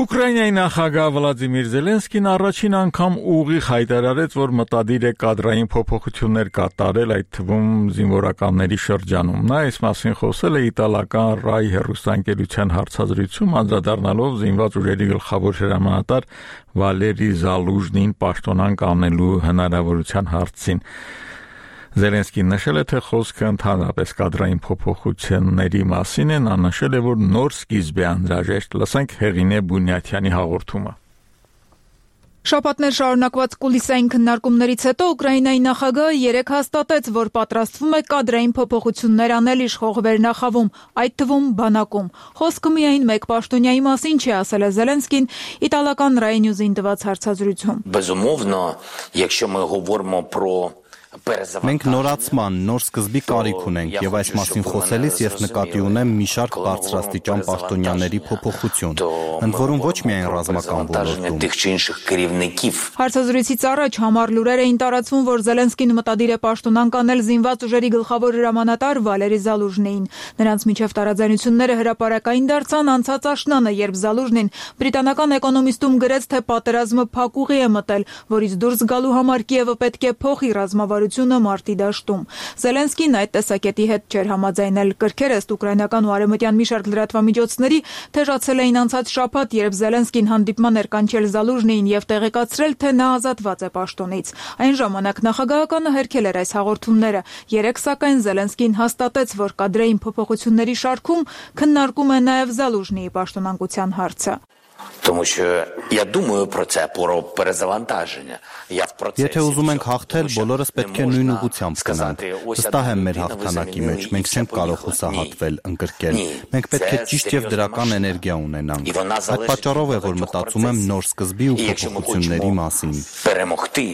Ուկրաինայի նախագահ Վլադիմիր Զելենսկին առաջին անգամ ուղիղ հայտարարեց, որ մտադիր է կադրային փոփոխություններ կատարել, այդ թվում զինվորականների շրջանում։ Նա այս մասին խոսել է իտալական Ռայ հեռուստաընկերության հարցազրույցում, անդրադառնալով զինված ուժերի գլխավոր հրամանատար Վալերի Զալուժնին պաշտոնանկ անելու հնարավորության հարցին։ Զելենսկին նշել է, թե խոսքը ընդհանրապես կադրային փոփոխությունների մասին է, նա նշել է, որ նոր սկիզբ է անհրաժեշտ։ Լսենք Հեղինե Բունյաթյանի հաղորդումը։ Շաբաթներ շարունակված կուլիսային քննարկումներից հետո Ուկրաինայի նախագահը երեկ հաստատեց, որ պատրաստվում է կադրային փոփոխություններ անել իշխող վերնախավում, այդ թվում բանակում։ Խոսքը միայն մեկ պաշտոնյայի մասին չի, ասել է Զելենսկին իտալական Rai News-ին տված հարցազրույցում։ Безумовно, якщо ми говоримо про Մենք նորացման, նոր սկզբի կարիք ունենք եւ այս մասին խոսելիս ես նկատի ունեմ մի շարք բարձրաստիճան պաշտոնյաների փոփոխություն, ընդ որում ոչ միայն ռազմական ոլորտում։ Հարցազրույցից առաջ համառ լուրեր էին տարածվում, որ Զելենսկին մտադիր է պաշտոնանկ անել զինված ուժերի գլխավոր հրամանատար Վալերի Զալուժնիին։ Նրանց միջև տարաձայնությունները հրապարակային դարձան անցած աշնանը, երբ Զալուժնին բրիտանական էկոնոմիստում գրեց, թե պատերազմը փակուղի է մտել, որից դուրս գալու համար Կիևը պետք է փոխի ռազմավարությունը մարտի դաշտում։ Զելենսկին այդ տեսակետի հետ չէր համաձայնել։ Կրքեր ըստ ուկրաինական ու արևմտյան մի շարք լրատվամիջոցների թեժացել էին անցած շաբաթ, երբ Զելենսկին հանդիպման էր կանչել Զալուժնիին եւ տեղեկացրել, թե նա ազատված է պաշտոնից։ Այն ժամանակ նախագահականը հերքել էր այս հաղորդումները։ Երեկ սակայն Զելենսկին հաստատեց, որ կադրային փոփոխությունների շարքում քննարկում է նաեւ Զալուժնիի պաշտոնանկության հարցը։ Тому що я думаю про це, про перезавантаження. Я в процесі. Եթե ուզում ենք հաղթել, բոլորս պետք է նույն ուղղությամբ գնանք։ Վստահ եմ մեր հաղթանակի մեջ, մենք չենք կարող հուսահատվել, ընկրկել։ Մենք պետք է ճիշտ եւ դրական էներգիա ունենանք։ Այդ պատճառով է, որ մտածում եմ նոր սկզբի ու փոփոխությունների մասին։ Перемогти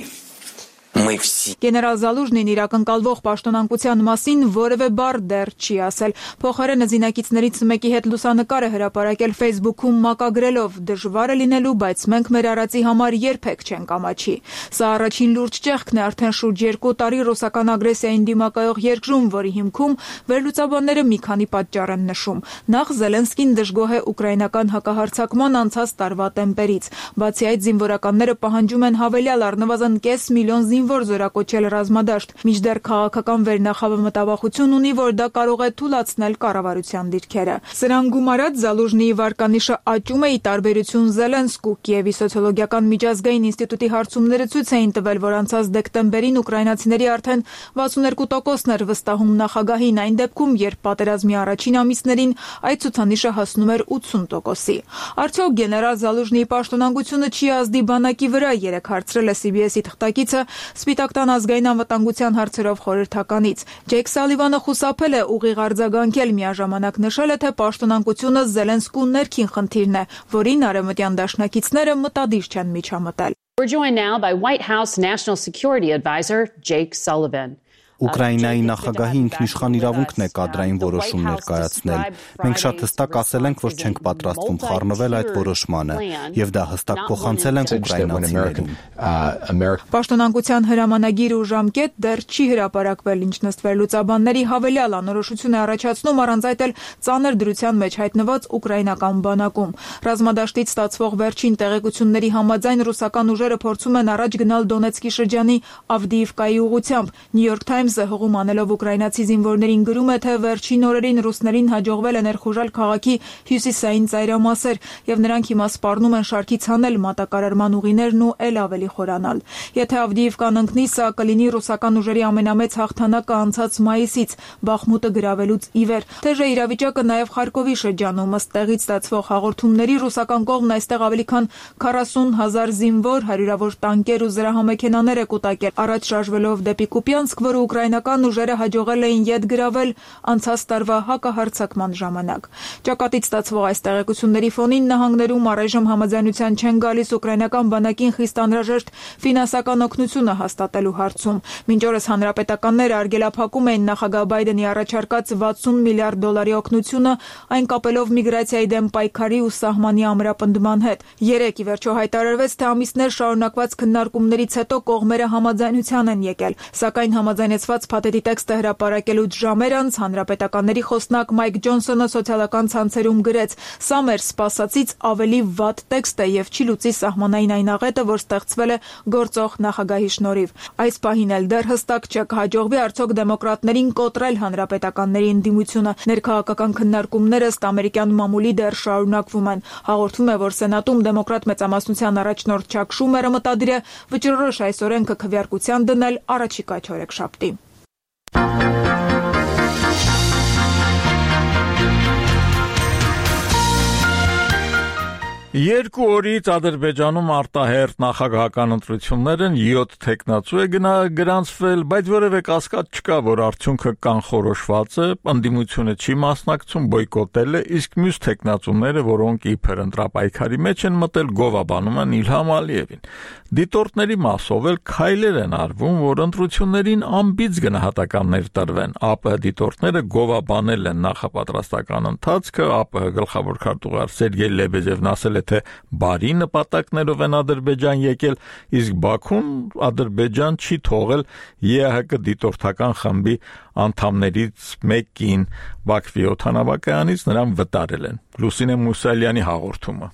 Գեներալ Զալուժնին իր ակնկալվող պաշտոնանկության մասին որևէ բառ դեռ չի ասել։ Փոխարենը զինակիցներից մեկի հետ լուսանկար է հրապարակել Facebook-ում մակագրելով. «Դժվար է լինելու, բայց մենք մեր արածի համար երբեք չենք ամաչի»։ Սա առաջին լուրջ ճեղքն է արդեն շուրջ երկու տարի ռուսական ագրեսիային դիմակայող երկրում, որի հիմքում վերլուծաբանները մի քանի պատճառ են նշում։ Նախ Զելենսկին դժգոհ է ուկրաինական հակահարձակման անցած տարվա տեմպերից։ Բացի այդ, զինվորականները պահանջում են հավելյալ առնվազն կես միլիոն զինվոր զորակոչել ռազմադաշտ, մինչդեռ քաղաքական վերնախավը մտավախություն ունի, որ դա կարող է թուլացնել կառավարության դիրքերը։ Սրան գումարած Զալուժնիի վարկանիշը աճում է ի տարբերություն Զելենսկու։ Կիևի սոցիոլոգիական միջազգային ինստիտուտի հարցումները ցույց էին տվել, որ անցած դեկտեմբերին ուկրաինացիների արդեն վաթսունհինգ տոկոսն էր վստահում նախագահին, այն դեպքում, երբ պատերազմի առաջին ամիսներին այդ ցուցանիշը հասնում էր ութսուն տոկոսի։ Արդյոք գեներալ Զալուժնիի պաշտոնանկությունը չի ազդի բանակի վրա, երեք հարցրել է սի բի էսի թղթակիցը Սպիտակ տան ազգային անվտանգության հարցերով խորհրդականից։ Ջեյք Սալիվանը խուսափել է ուղիղ արձագանքել, միաժամանակ նշել է, թե պաշտոնանկությունը Զելենսկու ներքին խնդիրն է, որին արևմտյան դաշնակիցները մտադիր չեն միջամտել։ We're joined now by White House National Security Advisor Jake Sullivan. Ուկրաինայի նախագահի ինքնիշխան իրավունքն է կադրային որոշումներ կայացնել։ Մենք շատ հստակ ասել ենք, որ չենք պատրաստվում խառնվել այդ որոշմանը, եւ դա հստակ փոխանցել ենք ուկրաինացիներին։ Պաշտոնանկության հրամանագիր ու ժամկետ դեռ չի հրապարակվել, ինչ նստվել վերլուծաբանների հավելյալ անորոշություն է առաջացնում առանց այդ էլ ծանր դրության մեջ հայտնված ուկրաինական բանակում։ Ռազմադաշտից ստացվող վերջին տեղեկությունների համաձայն ռուսական ուժերը փորձում են առաջ գնալ Դոնեցկի շրջանի Ավդիիվկայի ուղղությամբ։ New York Times-ը հողում անելով ուկրաինացի զինվորներին գրում է, թե վերջին օրերին ռուսներին հաջողվել է ներխուժել քաղաքի հյուսիսային ծայրամասեր, եւ նրանք հիմա սպառնում են շարքից հանել մատակարարման ուղիներն ու ել ավելի խորանալ։ Եթե Ավդիիվկան ընկնի, սա կլինի ռուսական ուժերի ամենամեծ հաղթանակը անցած մայիսից, Բախմուտը գրավելուց ի վեր։ Թեժ է իրավիճակը նաեւ Խարկովի շրջանում, ըստ տեղից ստացվող հաղորդումների ռուսական կողմն այստեղ ավելի քան քառասուն հազար զինվոր, հարյուրավոր տանկեր ու զրահամեքենաներ է կուտակել, առաջ շարժվելով դեպի Կուպյանսկ, որը ուկրաինական ուժերը հաջողել էին ետ գրավել անցած տարվա հակահարձակման ժամանակ։ Ճակատից ստացվող այս տեղեկությունների ֆոնին նահանգներում առայժմ համաձայնության չեն գալիս ուկրաինական բանակին խիստ անհրաժեշտ ֆինանսական օգնությունը հաստատելու հարցում։ Մինչ օրս հանրապետականները արգելափակում էին նախագահ Բայդենի առաջարկած վաթսուն միլիարդ դոլարի օգնությունը, այն կապելով միգրացիայի դեմ պայքարի ու սահմանի ամրապնդման հետ։ Երեկ ի վերջո հայտարարվեց, թե ամիսներ շարունակված քննարկումներից հետո կողմերը համաձայնության են եկել, սակայն համաձայնեցված փաթեթի տեքստը հրապարակելուց ժամեր անց հանրապետականների խոսնակ Մայք Ջոնսոնը սոցիալական ցանցերում գրեց. «Սա մեր սպասածից ավելի վատ տեքստ է եւ չի լուծի սահմանային այն աղետը, որ ստեղծվել է գործող նախագահի շնորհիվ»։ Այս պահին էլ դեռ հստակ չէ, կհաջողվի արդյոք դեմոկրատներին կոտրել հանրապետականների ընդդիմությունը։ Ներքաղաքական քննարկումները ըստ ամերիկյան մամուլի դեռ շարունակվում են։ Հաղորդվում է, որ Սենատում դեմոկրատ մեծամասնության առաջնորդ Չակ Շումերը մտադիր է վճռորոշ այս օրենքը քվեարկության դնել առաջիկա չորեքշաբթի։ Երկու օրից Ադրբեջանում արտահերթ նախագահական ընտրություններն յոթ թեկնածու է գրանցվել, բայց որևէ կասկած չկա, որ արդյունքը կանխորոշված է, ընդդիմությունը չի մասնակցում, բոյկոտել է, իսկ մյուս թեկնածուները, որոնք իբր ընտրապայքարի մեջ են մտել, գովաբանում են Իլհամ Ալիևին։ Դիտորդների մասով էլ քայլեր են արվում, որ ընտրություններին անբիծ գնահատականներ տրվեն։ ԱՊՀ դիտորդները գովաբանել են նախապատրաստական ընթացքը, ԱՊՀ գլխավոր քարտուղար Սերգեյ Լեբեդևն ասել է, թե բարի նպատակներով են Ադրբեջան եկել, իսկ Բաքուն Ադրբեջան չի թողել ԵԱՀԿ դիտորդական խմբի անդամներից մեկին, Բաքվի օդանավակայանից նրան վտարել են։ Լուսինե Մուսալյանի հաղորդումը։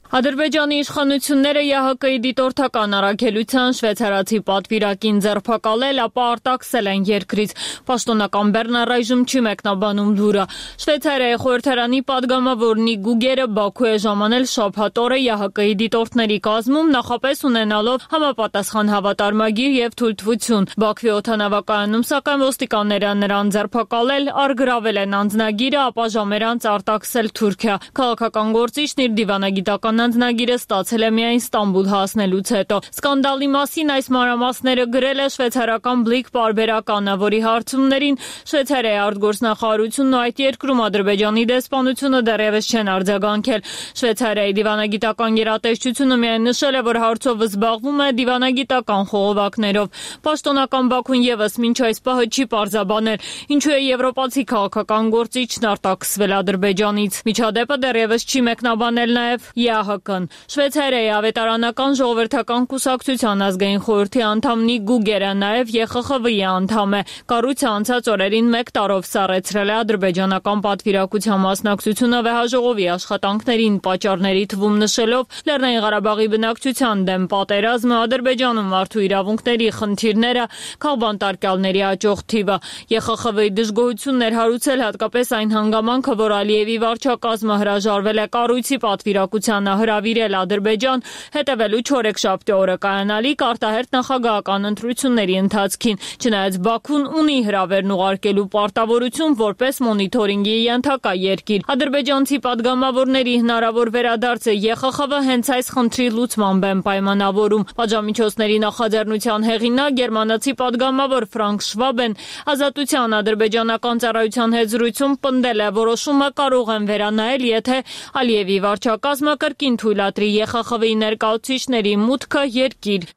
Ադրբեջանի իշխանությունները ԵԱՀԿ-ի դիտորդական առաքելության շվեյցարացի պատվիրակին ձերբակալել, ապա արտաքսել են երկրից։ Պաշտոնական բեռն առայժմ չի մեկնաբանում լուրը։ Շվեյցարիայի խորհրդարանի падգամավորնի Գուգերը Բաքու է ժամանել շաբաթ օրը ԵԱՀԿ-ի դիտորդների կազմում, նախապես ունենալով համապատասխան հավատարմագիր եւ թույլտվություն։ Բաքվի օդանավակայանում սակայն ոստիկանները նրան ձերբակալել, արգրավել են անձնագիրը, ապա ժամեր անց արտաքսել Թուրքիա։ Քաղաքական գործիչն իր դիվանագիտական Հայաստան անձնագիրը ստացել է միայն Ստամբուլ հասնելուց հետո։ Սկանդալի մասին այս մանրամասները գրել է շվեյցարական Բլիկ պարբերականը, որի հարցումներին Շվեյցարիայի արտգործնախարարությունն ու այդ երկրում Ադրբեջանի դեսպանությունը դեռևս չեն արձագանքել։ Շվեյցարիայի դիվանագիտական գերատեսչությունը միայն նշել է, որ հարցով զբաղվում է դիվանագիտական խողովակներով։ Պաշտոնական Բաքուն եւս մինչ այս պահը չի պարզաբանել, ինչու է եվրոպացի քաղաքական գործիչն արտաքսվել Ադրբեջանից։ Միջադեպը դեռևս չի մեկնաբանել նաեւ ԵԱՀԿ-ն։ Շվեյցարիայի ավետարանական ժողովրդական կուսակցության ազգային խորհրդի անդամ Նիկ Գուգերը նաեւ Ե Խ Խ V-ի անդամ է։ Կառույցը անցած օրերին մեկ տարով սառեցրել է ադրբեջանական պատվիրակության մասնակցությունը վեհաժողովի աշխատանքներին, պատճառների թվում նշելով Լեռնային Ղարաբաղի բնակչության դեմ պատերազմը, Ադրբեջանում մարդու իրավունքների խնդիրները, քաղբանտարկյալների աճող թիվը։ Ե Խ Խ V-ի դժգոհությունն էր հարուցել հատկապես այն հանգամանքը, որ Ալիևի վարչակազմը հրաժարվել է կառույցի պատվիրակությանը հրավիրել Ադրբեջան, հետևելու չորեքշաբթի օրը կայանալիք արտահերթ նախագահական ընտրությունների ընթացքին, չնայած Բաքուն ունի հրավերն ուղարկելու պարտավորություն որպես մոնիթորինգի ենթակա երկիր։ Ադրբեջանցի падգամավորների հնարավոր վերադարձը Ե Խ Խ V հենց այս խնդրի լուծմամբ են պայմանավորում։ Պատժամիջոցների նախաձեռնության հեղինակ գերմանացի падգամավոր Ֆրանկ Շվաբեն Ազատության ադրբեջանական ծառայության հետ զրույցում պնդել է, որոշումը կարող են վերանայել, եթե Ալիևի վարչակազմը կրկին թույլատրի Ե Խ Խ V-ի ներկայացուցիչների մուտքը երկիր։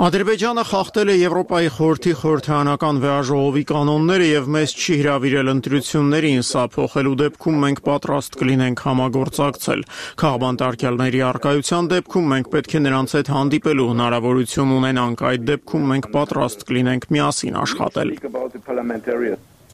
Ադրբեջանը խախտել է Եվրոպայի խորհրդի խորհրդարանական վեհաժողովի կանոնները եւ մեզ չի հրավիրել ընտրություններին, սա փոխելու դեպքում մենք պատրաստ կլինենք համագործակցել։ Քաղբանտարկյալների առկայության դեպքում մենք պետք է նրանց հետ հանդիպելու հնարավորություն ունենանք, այդ դեպքում մենք պատրաստ կլինենք միասին աշխատել։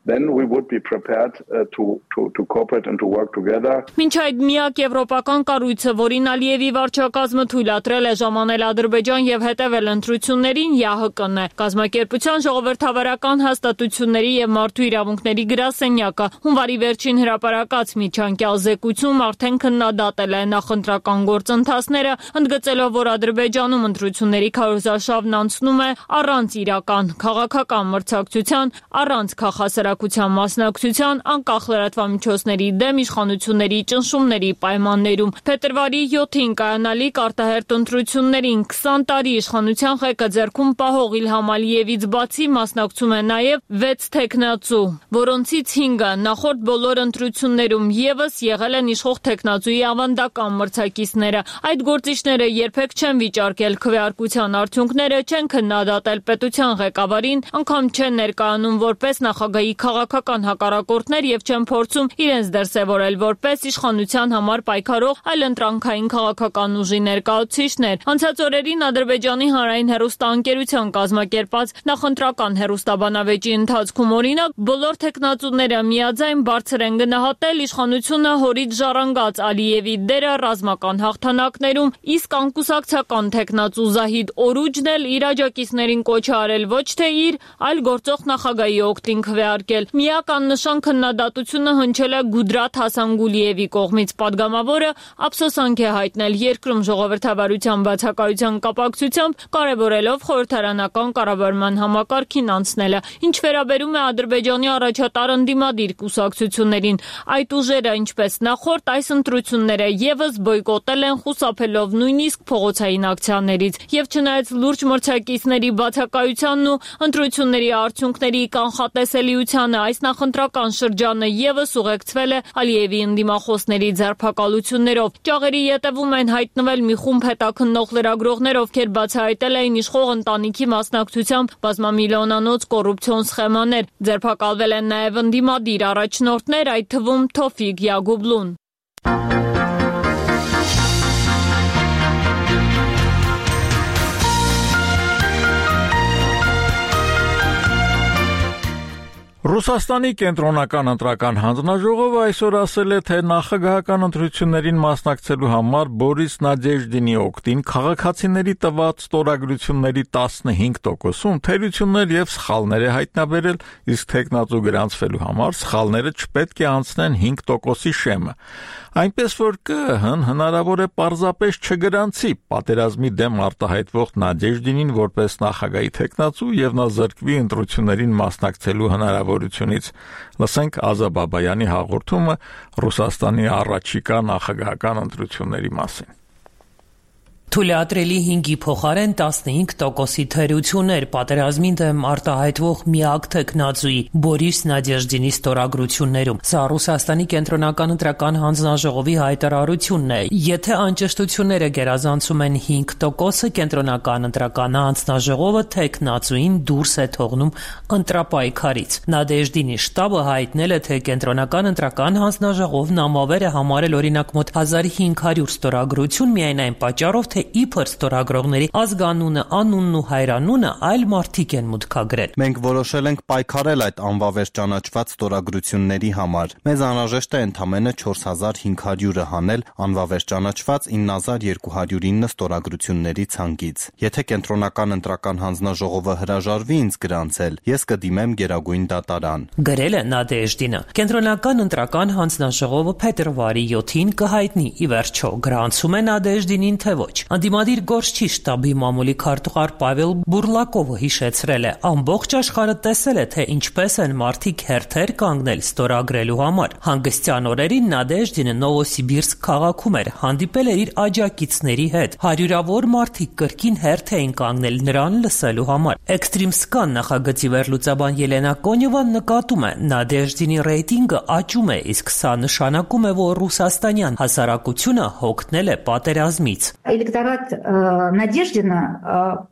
Then we would be prepared uh, to, to, to cooperate and to work together. Մինչ այդ միակ եվրոպական կառույցը, որին Ալիևի վարչակազմը թույլատրել է ժամանել Ադրբեջան եւ հետեւել ընտրություններին, ԵԱՀԿ-ն է։ Կազմակերպության ժողովրդավարական հաստատությունների եւ մարդու իրավունքների գրասենյակը հունվարի վերջին հրապարակած միջանկյալ զեկույցում արդեն քննադատել է նախընտրական գործընթացները, ընդգծելով, որ Ադրբեջանում ընտրությունների քարոզարշավն անցնում է առանց իրական քաղաքական մրցակցության, առանց քաղաքասրահ մասնակցության, անկախ լրատվամիջոցների դեմ իշխանությունների ճնշումների պայմաններում։ Փետրվարի յոթին կայանալիք արտահերթ ընտրություններին քսան տարի իշխանության ղեկը ձեռքում պահող Իլհամ Ալիևից բացի մասնակցում է նաև վեց թեկնածու, որոնցից հինգը նախորդ բոլոր ընտրություններում եւս եղել են իշխող թեկնածուի ավանդական մրցակիցները։ Այդ գործիչները երբեք չեն վիճարկել քվեարկության արդյունքները, չեն քննադատել պետության ղեկավարին, անգամ չեն ներկայանում որպես նախագահի քաղաքական հակառակորդներ եւ չեն փորձում իրենց դրսեւորել որպես իշխանության համար պայքարող այլընտրանքային քաղաքական ուժի ներկայացուցիչներ։ Անցած օրերին Ադրբեջանի հանրային հեռուստաընկերության կազմակերպած նախընտրական հեռուստաբանավեճի ընթացքում օրինակ բոլոր տեխնացուները միաձայն բարձր են գնահատել իշխանությունը հորից ժառանգած Ալիևի դերը ռազմական հաղթանակներում, իսկ անկուսակցական տեխնացու Զահիդ Օրուջն էլ իր աջակիցներին կոչ է արել ոչ թե իր, այլ գործող նախագահի օգտին քվեարկել։ Միակ աննշան քննադատությունը հնչել է Գուդրաթ Հասանգուլիևի կողմից։ Պատգամավորը ափսոսանք է հայտնել երկրում ժողովրդավարության բացակայության կապակցությամբ, կարևորելով խորհրդարանական կառավարման համակարգին անցնելը։ Ինչ վերաբերում է Ադրբեջանի առաջատար ընդդիմադիր կուսակցություններին, այդ ուժերը, ինչպես նախորդ այս ընտրությունները եւս բոյկոտել են, խուսափելով նույնիսկ փողոցային ակցիաներից։ Եվ չնայած լուրջ մրցակիցների բացակայությանն ու ընտրությունների արդյունքների կանխատեսելիությանը, այս նախընտրական շրջանը եւս ուղեկցվել է Ալիևի ընդդիմախոսների ձերբակալություններով։ Ճաղերի ետևում են հայտնվել մի խումբ հետաքննող լրագրողներ, ովքեր բացահայտել էին իշխող ընտանիքի մասնակցությամբ բազմամիլիոնանոց կոռուպցիոն սխեմաներ։ Ձերբակալվել են նաեւ ընդդիմադիր առաջնորդներ, այդ թվում Թոֆիկ Յագուբլուն։ Ռուսաստանի կենտրոնական ընտրական հանձնաժողովը այսօր ասել է, թե նախագահական ընտրություններին մասնակցելու համար Բորիս Նադեժդինի օգտին քաղաքացիների տված ստորագրությունների տասնհինգ տոկոսում թերություններ եւ սխալներ է հայտնաբերել, իսկ տեխնատու գրանցվելու համար սխալները չպետք է անցնեն հինգ տոկոսի շեմը։ Այնպես որ ԿԸՀ-ն հնարավոր է պարզապես չգրանցի պատերազմի դեմ արտահայտվող Նադեժդինին որպես նախագահի տեխնատու եւ նա զրկվի ընտրություններին մասնակցելու հնարավորությունից։ կառավարությունից։ Լսենք Ազա Բաբայանի հաղորդումը Ռուսաստանի առաջիկա նախագահական ընտրությունների մասին։ Թույլատրելի հինգի փոխարեն տասնհինգ տոկոսի թերություններ պատերազմին դեմ արտահայտվող միակ տեխնացուի Բորիս Նադեժդինի ստորագրություններում։ Սա Ռուսաստանի կենտրոնական ընտրական հանձնաժողովի հայտարարությունն է։ Եթե անճշտությունները գերազանցում են հինգ տոկոսը, կենտրոնական ընտրական հանձնաժողովը տեխնացուին դուրս է թողնում ընտրապայքարից։ Նադեժդինի շտաբը հայտնել է, թե կենտրոնական ընտրական հանձնաժողովն ամավեր է համարել օրինակ մոտ հազար հինգ հարյուր ստորագրություն միայն այն պատճառով, թե իբր ստորագրողների ազգանունը, անունն ու հայրանունը այլ մարդիկ են մուտքագրել։ Մենք որոշել ենք պայքարել այդ անվավեր ճանաչված ստորագրությունների համար։ Մեզ անհրաժեշտ է ընդամենը չորս հազար հինգ հարյուրը հանել անվավեր ճանաչված ինը հազար երկու հարյուր ինը ստորագրությունների ցանկից։ Եթե կենտրոնական ընտրական հանձնաժողովը հրաժարվի ինձ գրանցել, ես կդիմեմ Գերագույն դատարան։ Գրել է Նադեժդինը։ Կենտրոնական ընտրական հանձնաժողովը փետրվարի յոթին կհայտնի ի վերջո գրանցում է Նադեժդինին, թե ոչ։ Անդիմադիր գործչի շտաբի մամուլի քարտուղար Պավել Բուրլակովը հիշեցրել է. ամբողջ աշխարհը տեսել է, թե ինչպես են մարդիկ հերթեր կանգնել ստորագրելու համար։ Հանգստյան օրերին Նադեժդինը Նովոսիբիրսկ քաղաքում էր, հանդիպել էր իր աջակիցների հետ։ Հարյուրավոր մարդիկ կրկին հերթ էին կանգնել նրան լսելու համար։ Էքստրիմսկան նախագծի վերլուծաբան Ելենա Կոնյովան նկատում է, Նադեժդինի ռեյտինգը աճում է, իսկ սա նշանակում է, որ ռուսաստանյան հասարակությունը հոգնել է պատերազմից։ Электорат э, Надеждина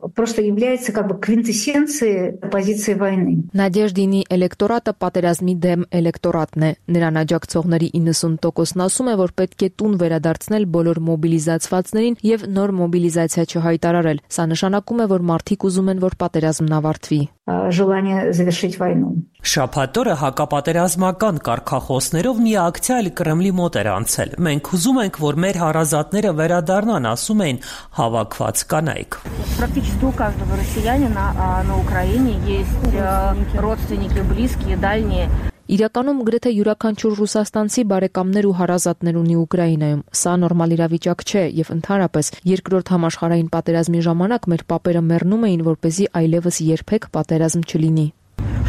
э, просто является как бы квинтэссенцией позиции войны. Նադեժդինի էլեկտորատը պատերազմի դեմ էլեկտորատն է։ Նրան աջակցողների իննսուն տոկոսն ասում է, որ պետք է տուն վերադարձնել բոլոր մոբիլիզացվածներին եւ նոր մոբիլիզացիա չհայտարարել։ Սա նշանակում է, որ մարդիկ ուզում են, որ պատերազմն ավարտվի։ Желание завершить войну. Շաբաթ օրը հակապատերազմական կարգախոսներով մի ակցիա էլ Կրեմլի մոտ էր անցել։ Մենք ուզում ենք, որ մեր հարազատները վերադառնան, ասում էին հավաքված կանայք։ Практически у каждого россиянина на Украине есть родственники, близкие, дальние. Իրականում գրեթե յուրաքանչյուր ռուսաստանցի բարեկամներ ու հարազատներ ունի Ուկրաինայում։ Սա նորմալ իրավիճակ չէ եւ ընդհանրապես երկրորդ համաշխարհային պատերազմի ժամանակ մեր պապերը մեռնում էին, որպեսզի այլևս երբեք պատերազմ չլինի։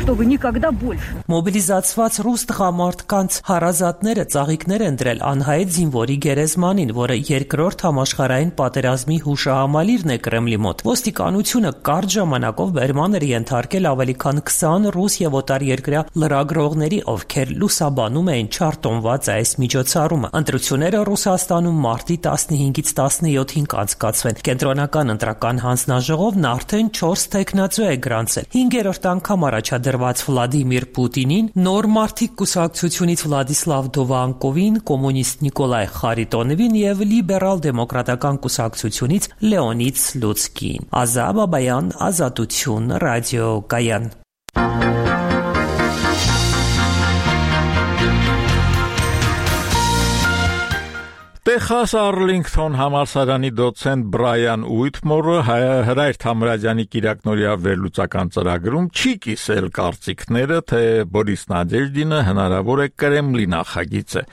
Чтобы никогда больше. Մոբիլիզացված ռուս տղամարդկանց հարազատները ծաղիկներ են դրել անհայտ զինվորի գերեզմանին, որը երկրորդ համաշխարհային պատերազմի հուշահամալիրն է Կրեմլի մոտ։ Ոստիկանությունը կարճ ժամանակով բերման էր ենթարկել ավելի քան քսան ռուս եւ օտարերկրյա լրագրողների, ովքեր լուսաբանում էին չարտոնված այս միջոցառումը։ Ընտրությունները Ռուսաստանում մարտի տասնհինգից տասնյոթին կանցկացվեն։ Կենտրոնական ընտրական հանձնաժողովն արդեն չորս տեխնացու է գրանցել։ հինգերորդ անգամ առաջադրված Վլադիմիր Պուտինին, նոր մարդիկ կուսակցությունից Վլադիսլավ Դովանկովին, կոմունիստ Նիկոլայ Խարիտոնովին եւ լիբերալ դեմոկրատական կուսակցությունից Լեոնիդ Սլուցկին։ Ազա Բաբայան, Ազատություն, ռադիո Կայան։ Տեխաս Արլինգթոն համալսարանի դոցենտ Բրայան Ուիթմորը Հրայր Թամրազյանի կիրակնօրյա վերլուծական ծրագրում չի կիսել կարծիքները, թե Բորիս Նադեժդինը հնարավոր է Կրեմլի նախագիծ է։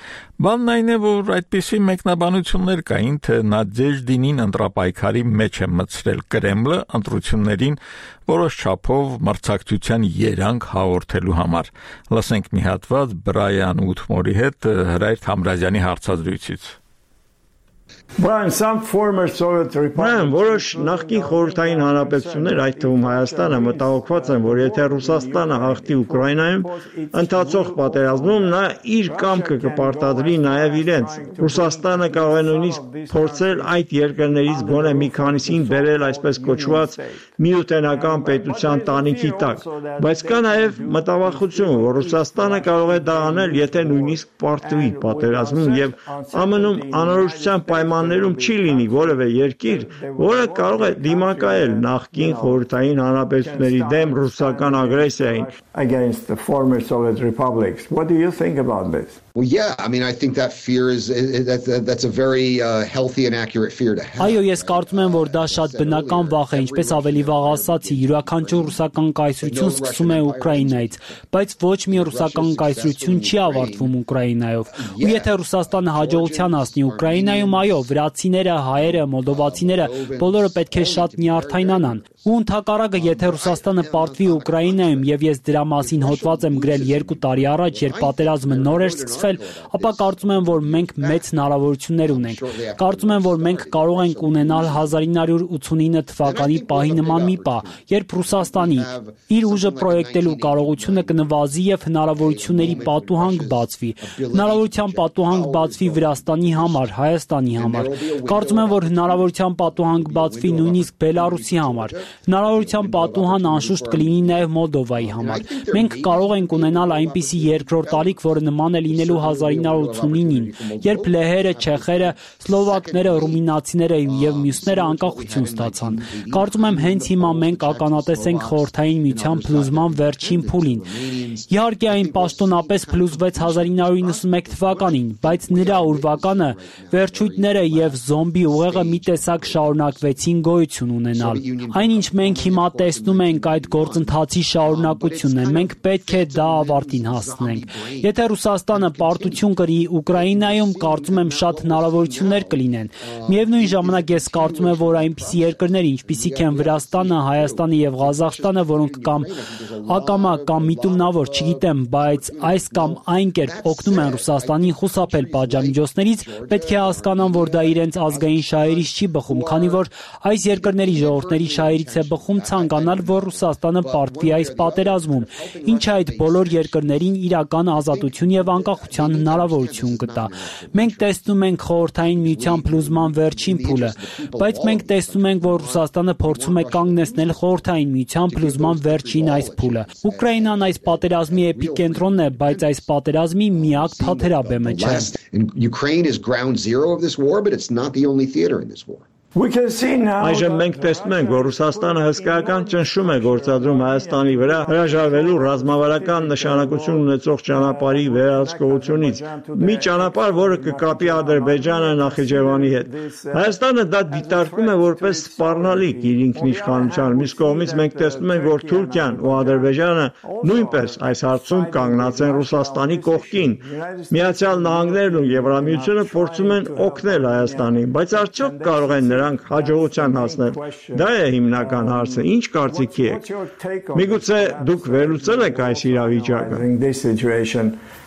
Բանն այն է, որ այդպիսի մեկնաբանություններ կային, թե Նադեժդինին ընտրապայքարի մեջ է մտցրել Կրեմլը ընտրություններին որոշ չափով մրցակցության երանգ հաղորդելու համար։ Լսենք մի հատված Բրայան Ուիթմորի հետ Հրայր Թամրազյանի հարցազրույցից։ Brian, որոշ նախկին խորհրդային հանրապետություններ, այդ թվում Հայաստանը, մտահոգված են, որ եթե Ռուսաստանը հաղթի Ուկրաինայում, ընթացող պատերազմում նա իր կամքը կպարտադրի նաև իրենց։ Ռուսաստանը կարող է նույնիսկ փորձել այդ երկրներից գոնե մի քանիսին բերել այսպես կոչված միութենական պետության տանիքի տակ, բայց կա նաև մտավախություն, որ Ռուսաստանը կարող է դա անել, եթե նույնիսկ պարտվի պատերազմում եւ ԱՄՆ-ում անորոշության պայմաններում չի լինի որևէ երկիր, որը կարող է դիմակայել նախկին խորհրդային հանրապետությունների դեմ ռուսական ագրեսիային։ Against the former Soviet republics. What do you think about this? Well, yeah, I mean, I think that fear is, is that's, that's a very uh, healthy and accurate fear to have. Այո, ես կարծում եմ, որ դա շատ բնական վախ է, ինչպես ավելի վաղ ասացի, յուրաքանչյուր ռուսական կայսրություն սկսում է Ուկրաինայից, բայց ոչ մի ռուսական կայսրություն չի ավարտվում Ուկրաինայով։ Ու եթե Ռուսաստանը հաջողության հասնի Ուկրաինայում, այո, վրացիները, հայերը, մոլդովացիները բոլորը պետք է շատ նյարդայնանան։ Ու ընդհակառակը, եթե Ռուսաստանը պարտվի Ուկրաինայում, եւ ես դրա մասին հոդված եմ գրել երկու տարի առաջ, երբ պատերազմը նոր էր սկսվել, ապա կարծում եմ, որ մենք մեծ հնարավորություններ ունենք։ Կարծում եմ, որ մենք կարող ենք ունենալ հազար ինը հարյուր ութսունինը թվականի պահի նման մի պահ, երբ Ռուսաստանի իր ուժը պրոյեկտելու կարողությունը կնվազի եւ հնարավորությունների պատուհան կբացվի։ Հնարավորության պատուհան կբացվի Վրաստանի համար, Հայաստանի համար։ Կարծում եմ, որ հնարավորության պատուհան կբացվի նույնիսկ Բելարուսի համար։ Հնարավորության պատուհան անշուշտ կլինի նաեւ Մոլդովայի համար։ Մենք կարող ենք ունենալ այնպիսի երկրորդ ալիք, որը նման է լինելու հազար ինը հարյուր ութսունինին, երբ լեհերը, չեխերը, սլովակները, ռումինացիները եւ մյուսները անկախություն ստացան։ Կարծում եմ, հենց հիմա մենք ականատես ենք Խորհրդային Միության փլուզման վերջին փուլին։ Իհարկե, այն պաշտոնապես փլուզվեց հազար ինը հարյուր իննսունմեկ թվականին, բայց նրա ուրվականը, վերջույթները եւ զոմբի ուղեղը մի տեսակ շարունակվեցին գոյություն ունենալ։ Այնինչ մենք հիմա տեսնում ենք այդ գործընթացի շարունակությունն է։ Մենք պետք է դա ավարտին հասցնենք։ Եթե Ռուսաստանը պարտություն կրի Ուկրաինայում, կարծում եմ շատ հնարավորություններ կլինեն։ Միևնույն ժամանակ ես կարծում եմ, որ այնպիսի երկրներ, ինչպիսիք են Վրաստանը, Հայաստանը եւ Ղազախստանը, որոնք կամ ակամա կամ միտումնավոր, չգիտեմ, բայց այս կամ այն կերպ օգնում են Ռուսաստանին խուսափել պատժամիջոցներից, պետք է հասկանան, որ դա իրենց ազգային շահերից չի բխում, քանի որ այս երկրների ժողովուրդների շահերից է բխում ցանկանալ, որ Ռուսաստանը պարտվի այս պատերազմում, ինչը այդ բոլոր երկրներին իրական ազատություն եւ անկախության հնարավորություն կտա։ Մենք տեսնում ենք Խորհրդային Միության փլուզման վերջին փուլը, բայց մենք տեսնում ենք, որ Ռուսաստանը փորձում է կանգնեցնել Խորհրդային Միության փլուզման վերջին այս փուլը։ Ուկրաինան այս պատերազմի էպիկենտրոնն է, բայց այս պատերազմի միակ թաթերաբեմը չէ։ Ukraine is ground zero of this war, but it's not the only theater in this war. Այժմ մենք տեսնում ենք, որ Ռուսաստանը հսկայական ճնշում է գործադրում Հայաստանի վրա հրաժարվելու ռազմավարական նշանակություն ունեցող ճանապարհի վերահսկողությունից, մի ճանապարհ, որը կկապի Ադրբեջանը Նախիջևանի հետ։ Հայաստանը դա դիտարկում է որպես սպառնալիք իր ինքնիշխանության։ Մյուս կողմից մենք տեսնում ենք, որ Թուրքիան ու Ադրբեջանը նույնպես այս հարցում կանգնած են Ռուսաստանի կողքին։ Միացյալ Նահանգներն ու Եվրամիությունը փորձում են օգնել Հայաստանին, բայց արդյոք կարող են նրանք հաջողության հասնել։ Դա է հիմնական հարցը։ Ինչ կարծիքի եք։ Միգուցե դուք վերլուծել եք այս իրավիճակը։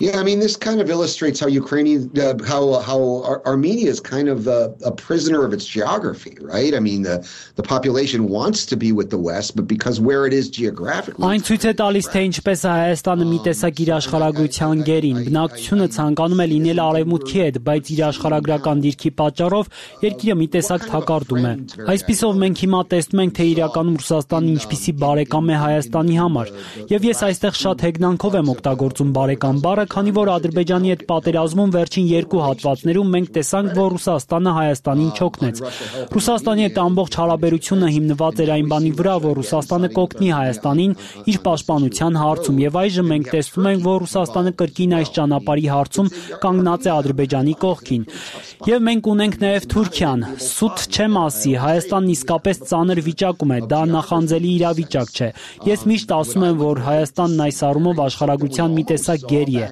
Yeah, I mean, this kind of illustrates how Ukrainian, uh, how how Ar- Armenia is kind of a, a prisoner of its geography, right? I mean, the the population wants to be with the West, but because where it is geographically. Այն ցույց է տալիս, թե ինչպես է Հայաստանը մի տեսակ իր աշխարհագրության գերին։ Բնակչությունը ցանկանում է լինել արևմուտքի հետ, բայց իր աշխարհագրական դիրքի պատճառով երկիրը մի տեսակ թակարդում է։ Այսպիսով մենք հիմա տեսնում ենք, թե իրականում Ռուսաստանը ինչպիսի բարեկամ է Հայաստանի համար։ Եվ ես այստեղ շատ հեգնանքով եմ օգտագործում բարեկամ բառը, քանի որ Ադրբեջանի հետ պատերազմում վերջին երկու հատվածներում մենք տեսանք, որ Ռուսաստանը Հայաստանին չօգնեց։ Ռուսաստանի հետ ամբողջ հարաբերությունը հիմնված էր այն բանի վրա, որ Ռուսաստանը կօգնի Հայաստանին իր պաշտպանության հարցում, եւ այժմ մենք տեսնում ենք, որ Ռուսաստանը կրկին այս ճանապարհի հարցում կանգնած է Ադրբեջանի կողքին։ Եվ մենք ունենք նաեւ Թուրքիան։ Սուտ չեմ ասի, Հայաստանն իսկապես ծանր վիճակում է, դա նախանձելի իրավիճակ չէ։ Ես միշտ ասում եմ, որ Հայաստանն այս առումով աշխարհագրության մի տեսակ գերի է։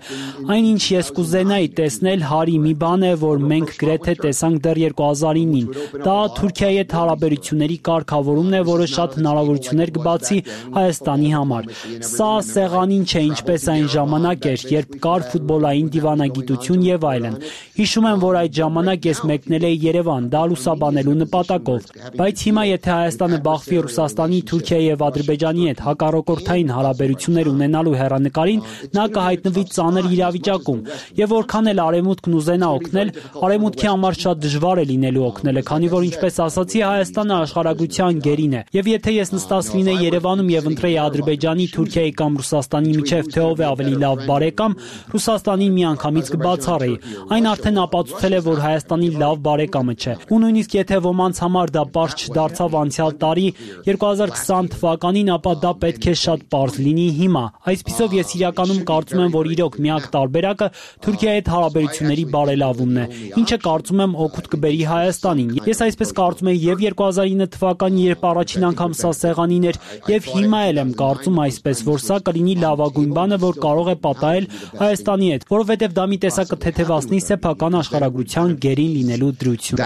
Այնինչ ես կուզենայի տեսնել հարի մի բան է, որ մենք գրեթե տեսանք դեռ երկու հազար ինին։ Դա Թուրքիայի հետ հարաբերությունների կարգավորումն է, որը շատ հնարավորություններ կբացի Հայաստանի համար։ Սա սեղանին չէ, ինչպես այն ժամանակ էր, երբ կար ֆուտբոլային դիվանագիտություն եւ այլն։ Հիշում եմ, որ այդ ժամանակ ես մեկնել էի Երևան, դա լուսաբանելու նպատակով։ Բայց հիմա եթե Հայաստանը բախվի Ռուսաստանի, Թուրքիայի եւ Ադրբեջանի հետ հակառակորդային հարաբերություններ ունենալու հեռանկարին, նա կհայտնվի ծանր իրավիճակում։ Եվ որքան էլ Արևմուտքն ուզենա օգնել, Արևմուտքի համար շատ դժվար է լինելու օգնելը, քանի որ ինչպես ասացի, Հայաստանը աշխարհագրության գերին է։ Եւ եթե ես նստած լինեի Երևանում եւ ընտրեի Ադրբեջանի, Թուրքիայի կամ Ռուսաստանի միջև թե ով է ավելի լավ բարեկամ, Ռուսաստանին միանգամից կբացառեի։ Այն արդեն ապացուցել է, որ Հայաստանի լավ բարեկամը չէ։ Ու նույնիսկ եթե եթե ոմանց համար դա պարզ չդարձավ անցյալ տարի երկու հազար քսան թվականին, ապա դա պետք է շատ պարզ լինի հիմա։ Այսպիսով ես իրականում կարծում եմ, որ իրոք միակ տարբերակը Թուրքիայի հետ հարաբերությունների բարելավումն է, ինչը կարծում եմ օգուտ կբերի Հայաստանին։ Ես այսպես կարծում եի եւ երկու հազար ինը թվականին, երբ առաջին անգամ սա սեղանին էր, եւ հիմա էլ եմ կարծում այսպես, որ սա կլինի լավագույն բանը, որ կարող է պատահել Հայաստանի հետ, որովհետեւ դա մի տեսակ կթեթևացնի սեփական աշխարհագրության գերին լինելու դրություն։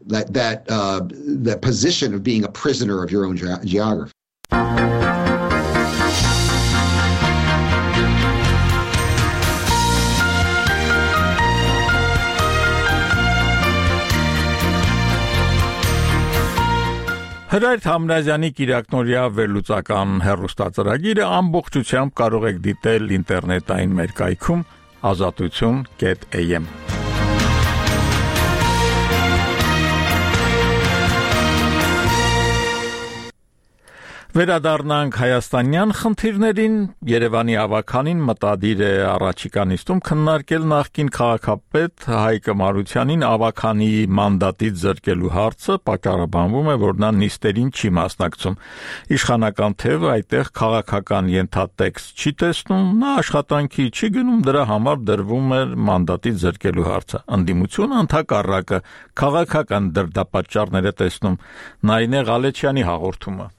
That that uh, that position of being a prisoner of your own ge- geography. Հրայր Համրազյանի Կիրակնորյա վերլուծական հեռուստածրագիրը ամբողջությամբ կարող եք դիտել ինտերնետային մեր կայքում ազատություն կետ էյ էմ։ Վերադառնանք հայաստանյան խնդիրներին։ Երևանի ավականին մտադիր է առաջիկա նիստում քննարկել նախկին քաղաքապետ Հայկ Մարությանին ավականի մանդատից զրկելու հարցը, պատճառաբանվում է, որ նա նիստերին չի մասնակցում։ Իշխանական թևը այդտեղ քաղաքական ենթատեքստ չի տեսնում, նա աշխատանքի չի գնում, դրա համար դրվում է մանդատից զրկելու հարցը։ Ընդդիմությունը ընդհակառակը քաղաքական դրդապատճառներ է տեսնում։ Նայինե Ղալեչյանի հաղորդումը։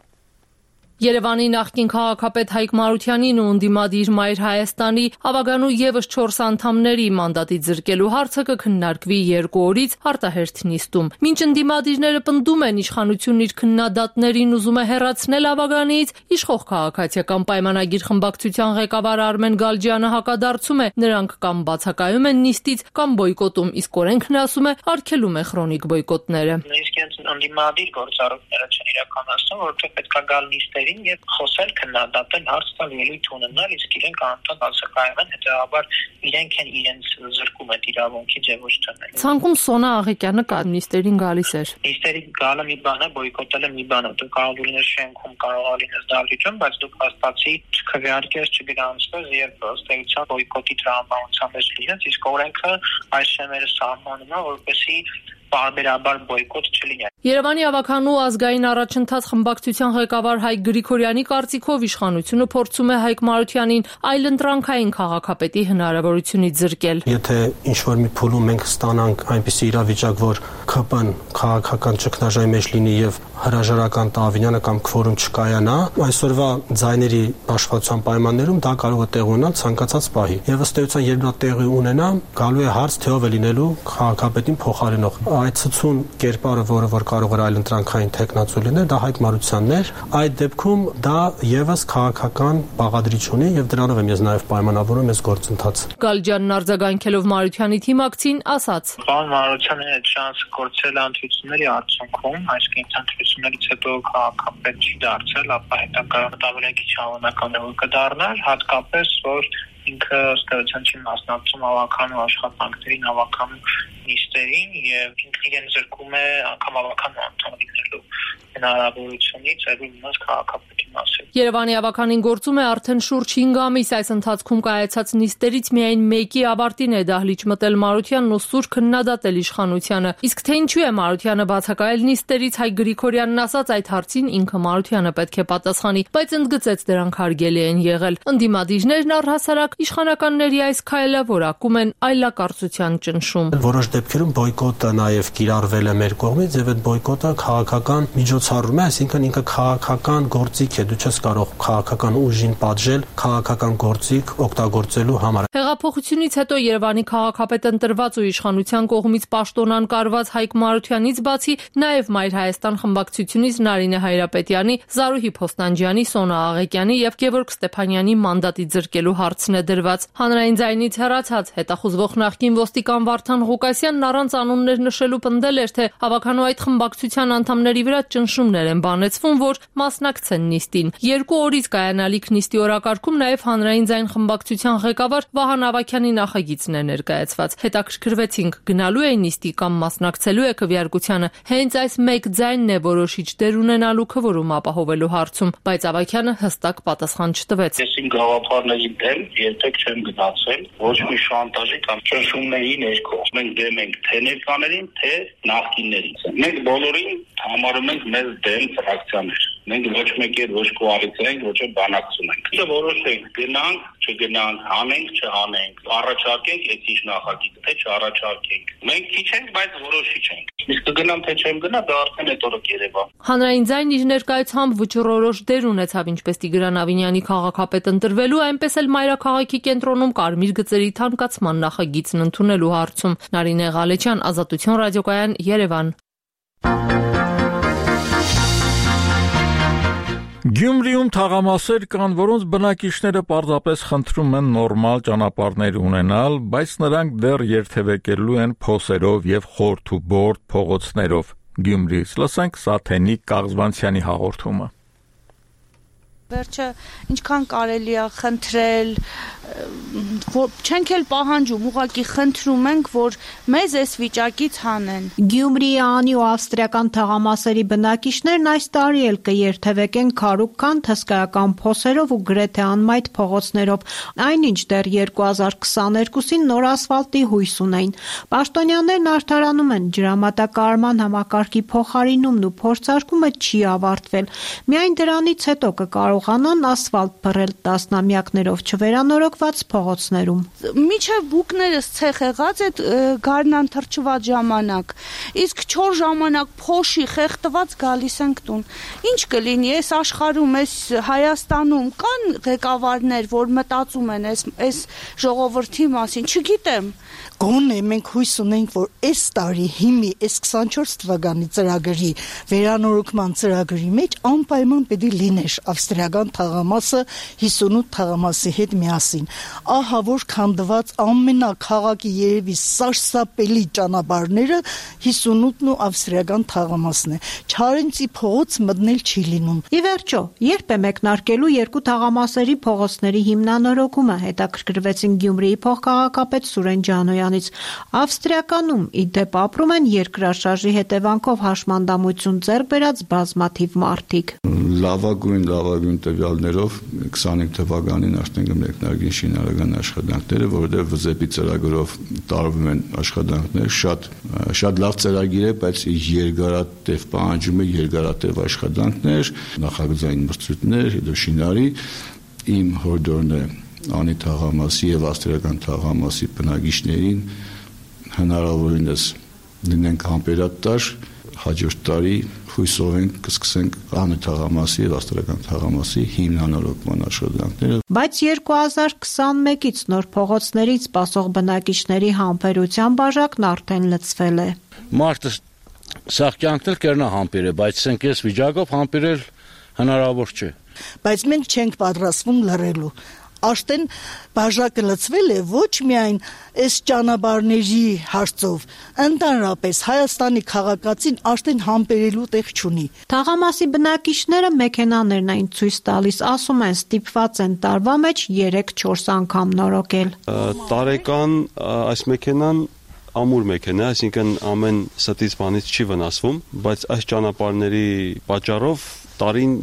Երևանի նախկին քաղաքապետ Հայկ Մարությանին ու ընդդիմադիր Մայր Հայաստանի ավագանու եւս չորս անդամների մանդատից զրկելու հարցը կքննարկվի երկու օրից արտահերթ նիստում։ Մինչ ընդդիմադիրները պնդում են իշխանությունն իր քննադատներին ուզում է հեռացնել ավագանից, իշխող քաղաքացիական պայմանագիր խմբակցության ղեկավար Արմեն Գալջյանը հակադարձում է, նրանք կամ բացակայում են նիստից, կամ բոյկոտում, իսկ օրենքն ասում է արգելում է քրոնիկ բոյկոտները։ Նույնիսկ ընդդիմադիր գործառույթները չեն իրականացնում, որովհետեւ պետք է գալ նիստերի եւ խոսել, քննադատել, հարց տալ, ելույթ ունենալ, իսկ իրենք անընդհատ բացակայում են, հետեւաբար իրենք են իրենց զրկում այդ իրավունքից եւ ոչ թե մենք։ Ցանկում Սոնա Աղեկյանը կա նիստերին գալիս էր։ Նիստերի գալը մի բան է, բոյկոտելը մի բան է։ Դու կարող լինես շենքում, կարող լինես դալիճում, բայց դու հաստատի չքվեարկես, չգրանցվես եւ ըստ էության բոյկոտի տրամաբանության մեջ լինես, իսկ օրենքը այս շեմերը սահմանում է, որպեսզի բարբերաբար բոյկոտ չլինի։ Երևանի ավականու ազգային առաջընթաց խմբակցության ղեկավար Հայկ Գրիգորյանի կարծիքով իշխանությունը փորձում է Հայկ Մարությանին այլընտրանքային քաղաքապետի հնարավորությունից զրկել։ Եթե ինչ-որ մի փուլում մենք ստանանք այնպիսի իրավիճակ, որ ՔՊ-ն քաղաքական ճգնաժամի մեջ լինի եւ հրաժարական Տավինյանը կամ քվորում չկայանա, այսօրվա ձայների աշխատության պայմաններում դա կարող է տեղ ունենալ ցանկացած պահի։ Եվ ըստ էության, երբ դա տեղի ունենա, գալու է հարց, թե ով է լինելու քաղաքապետին փոխարինող։ Այդ ցցուն կերպարը, որը որ կարող էր այլընտրանքային տեխնացու լինել, դա Հայկ Մարությանն էր։ Այդ դեպքում դա եւս քաղաքական բաղադրիչ ունի եւ դրանով եմ ես նաեւ պայմանավորում ես գործընթաց։ Գալջյանն արձագանքելով Մարությանի թիմակցին ասաց. Պարոն Մարությանը այդ շանսը կորցրել ընտրությունների արդյունքում, այսինքն ընտրություններից հետո քաղաքապետ չի դարձել, ապա հետագա մտավորակի չանվանական է որ կդառնար, հատկապես որ ինքը ըստ էության չի մասնակցում ավականու աշխատանքներին, ավականու նիստերին եւ ինքը իրեն զրկում է անգամ ավականու անդամ լինելու հնարավորությունից այլ իմաց քաղաքապետի մասին։ Երևանի ավականին գործում է արդեն շուրջ հինգ ամիս, այս ընթացքում կայացած նիստերից միայն մեկի ավարտին է դահլիճ մտել Մարությանն ու սուր քննադատել իշխանությանը։ Իսկ թե ինչու է Մարությանը բացակայել նիստերից, Հայկ Գրիգորյանն ասաց այդ հարցին ինքը Մարությանը պետք է պատասխանի, բայց ընդգծեց դրանք հարգելի են եղել։ Ընդդիմադիրներն առհասարակ իշխանականների այս քայլը որակում են այլակարծության ճնշում։ Որոշ դեպքերում բոյկոտը նաև կիրառվել է մեր կողմից եւ այդ բոյկոտը քաղաքական միջոցառում է, այսինքն ինքը քաղաքական գործիք է, դու չես կարող քաղաքական ուժին պատժել քաղաքական գործիք օգտագործելու համար։ Հեղափոխությունից հետո Երևանի քաղաքապետ ընտրված ու իշխանության կողմից պաշտոնան կարված Հայկ Մարությանից բացի նաև Մայր Հայաստան խմբակցությունից Նարինե Հայրապետյանի, Զարուհի Փոստանջյանի, Սոնա Աղեկյանի եւ Գևորգ Ստեփանյանի մանդատից զրկելու հարցն է դրված։ Հանրային ձայնից հեռացած հետախուզվող նախկին ոստիկան Վարդան Ղուկասյանն առանց անուններ նշելու պնդել էր, թե ավականու այդ խմբակցության անդամների վրա ճնշում որոշումներ են բանեցվում, որ մասնակցեն նիստին։ Երկու օրից կայանալիք նիստի օրակարգում նաև հանրային ձայն խմբակցության ղեկավար Վահան Ավագյանի նախագիծն է ներկայացված։ Հետաքրքրվեցինք, գնալու է նիստի կամ մասնակցելու է քվեարկությանը։ Հենց այս մեկ ձայնն է որոշիչ դեր ունենալու քվորում ապահովելու հարցում, բայց Ավագյանը հստակ պատասխան չտվեց։ Ես իմ գաղափարների դեմ երբեք չեմ գնացել, ոչ մի շանտաժի կամ ճնշումների ներքո։ Մենք դեմ ենք թե ներկաներին, թե նախկիններին։ Մենք բոլորին համարում ենք մեզ դեմ ֆրակցիաներ։ Մենք ոչ մեկ էլ ոչ կոալիցիա ենք, ոչ էլ բանակցում ենք։ Դե որոշենք, գնանք, չգնանք, հանենք, չհանենք, առաջարկենք էցիշ նախագիծ, թե չառաջարկենք։ Մենք քիչ ենք, բայց որոշիչ ենք։ Իսկ կգնամ թե չեմ գնա, դա արդեն հետո կերևա։ Հանրային ձայն իր ներկայությամբ վճռորոշ դեր ունեցավ ինչպես Տիգրան Ավինյանի քաղաքապետ ընտրվելու, այնպես էլ մայրաքաղաքի կենտրոնում կարմիր գծերի թանկացման նախագիծն ընդունելու հարցում։ Նարինե Ղալեչյան, Ազատություն ռադիոկայան, Երևան։ Գյումրիում թաղամասեր կան, որոնց բնակիչները պարզապես խնդրում են նորմալ ճանապարհներ ունենալ, բայց նրանք դեռ երթևեկելու են փոսերով եւ խորթ ու բորդ փողոցներով։ Գյումրիից լսենք Սաթենիկ Կաղզվանցյանի հաղորդումը։ Վերջը ինչքան կարելի է խնդրել, չենք էլ պահանջում, ուղղակի խնդրում ենք, որ մեզ այս վիճակից հանեն։ Գյումրիի անի ու ավստրիական թաղամասերի բնակիչներն այս տարի էլ կերթևեկեն քարուքքանդ հսկայական փոսերով ու գրեթե անմայթ փողոցներով, այնինչ դեռ երկու հազար քսաներկուսին նոր ասֆալտի հույս ունեին։ Պաշտոնյաներն արդարանում են, ջրամատակարարման համակարգի փոխարինումն ու փորձարկումը չի ավարտվել։ Միայն դրանից հետո կկարողանան ասֆալտ փռել տասնամյակներով չվերանորոգված փողոցներում։ Միջև բուկներս ցեխ եղած այդ գարնան թրջված ժամանակ, իսկ չոր ժամանակ փոշի խեղտված գալիս ենք տուն։ Ինչ կլինի այս աշխարհում, այս Հայաստանում կան ղեկավարներ, որ մտածում են այս այս ժողովրդի մասին, չգիտեմ։ Գոնե մենք հույս ունենք, որ այս տարի հիմի այս քսանչորս թվականի ծրագրի վերանորոգման ծրագրի մեջ անպայման պետք է լիներ ավստրիական թաղամասը հիսունութ թաղամասի հետ միասին։ Ահա որ քանդված ամենաքաղաքի երևի սարսափելի ճանապարհները հիսունութն ու ավստրիական թաղամասն է։ Չարենցի փողոց մտնել չի լինում։ Ի վերջո, երբ է մեկնարկելու երկու թաղամասերի փողոցների հիմնանորոգումը, հետաքրքրվեցին Գյումրիի փոխքաղաքապետ Սուրեն Ջանոյան։ Ավստրիականում ի դեպ ապրում են երկրաշարժի հետևանքով հաշմանդամություն ձեռք բերած բազմաթիվ մարդիկ։ Լավագույն լավագույն տվյալներով քսանհինգ թվականին արդեն մեկնարկին շինարարական աշխատանքները, որովհետև վզեպի ծրագրով տարվում են աշխատանքներ, շատ շատ լավ ծրագիր է, բայց երկարատև պահանջում է երկարատև աշխատանքներ, նախագծային մրցույթներ, հետո շինարարի իմ հորդորն է անի թաղամասի եւ ավստրիական թաղամասի բնակիչներին հնարավորինս լինենք համբերատար, հաջորդ տարի հույսով ենք կսկսենք անի թաղամասի եւ ավստրիական թաղամասի հիմնանորոգման աշխատանքները։ Բայց երկու հազար քսանմեկից նոր փողոցներից սպասող բնակիչների համբերության բաժակն արդեն լցվել է։ Մարդը սաղ կյանքն կերնա համբերել, բայց սենք այս վիճակով համբերել հնարավոր չէ։ Բայց մենք չենք պատրաստվում լռելու։ Աշտեն բաժակը լցվել է ոչ միայն այս ճանապարհների հարցով, ընդհանրապես Հայաստանի քաղաքացին աշտեն համբերելու տեղ չունի։ Թաղամասի բնակիչները մեքենաներն այն ցույց տալիս, ասում են ստիպված են տարվա մեջ երեք-չորս անգամ նորոգել։ Տարեկան այս մեքենան ամուր մեքենա, այսինքն ամեն ստից բանից չի վնասվում, բայց այս ճանապարհների պատճառով տարին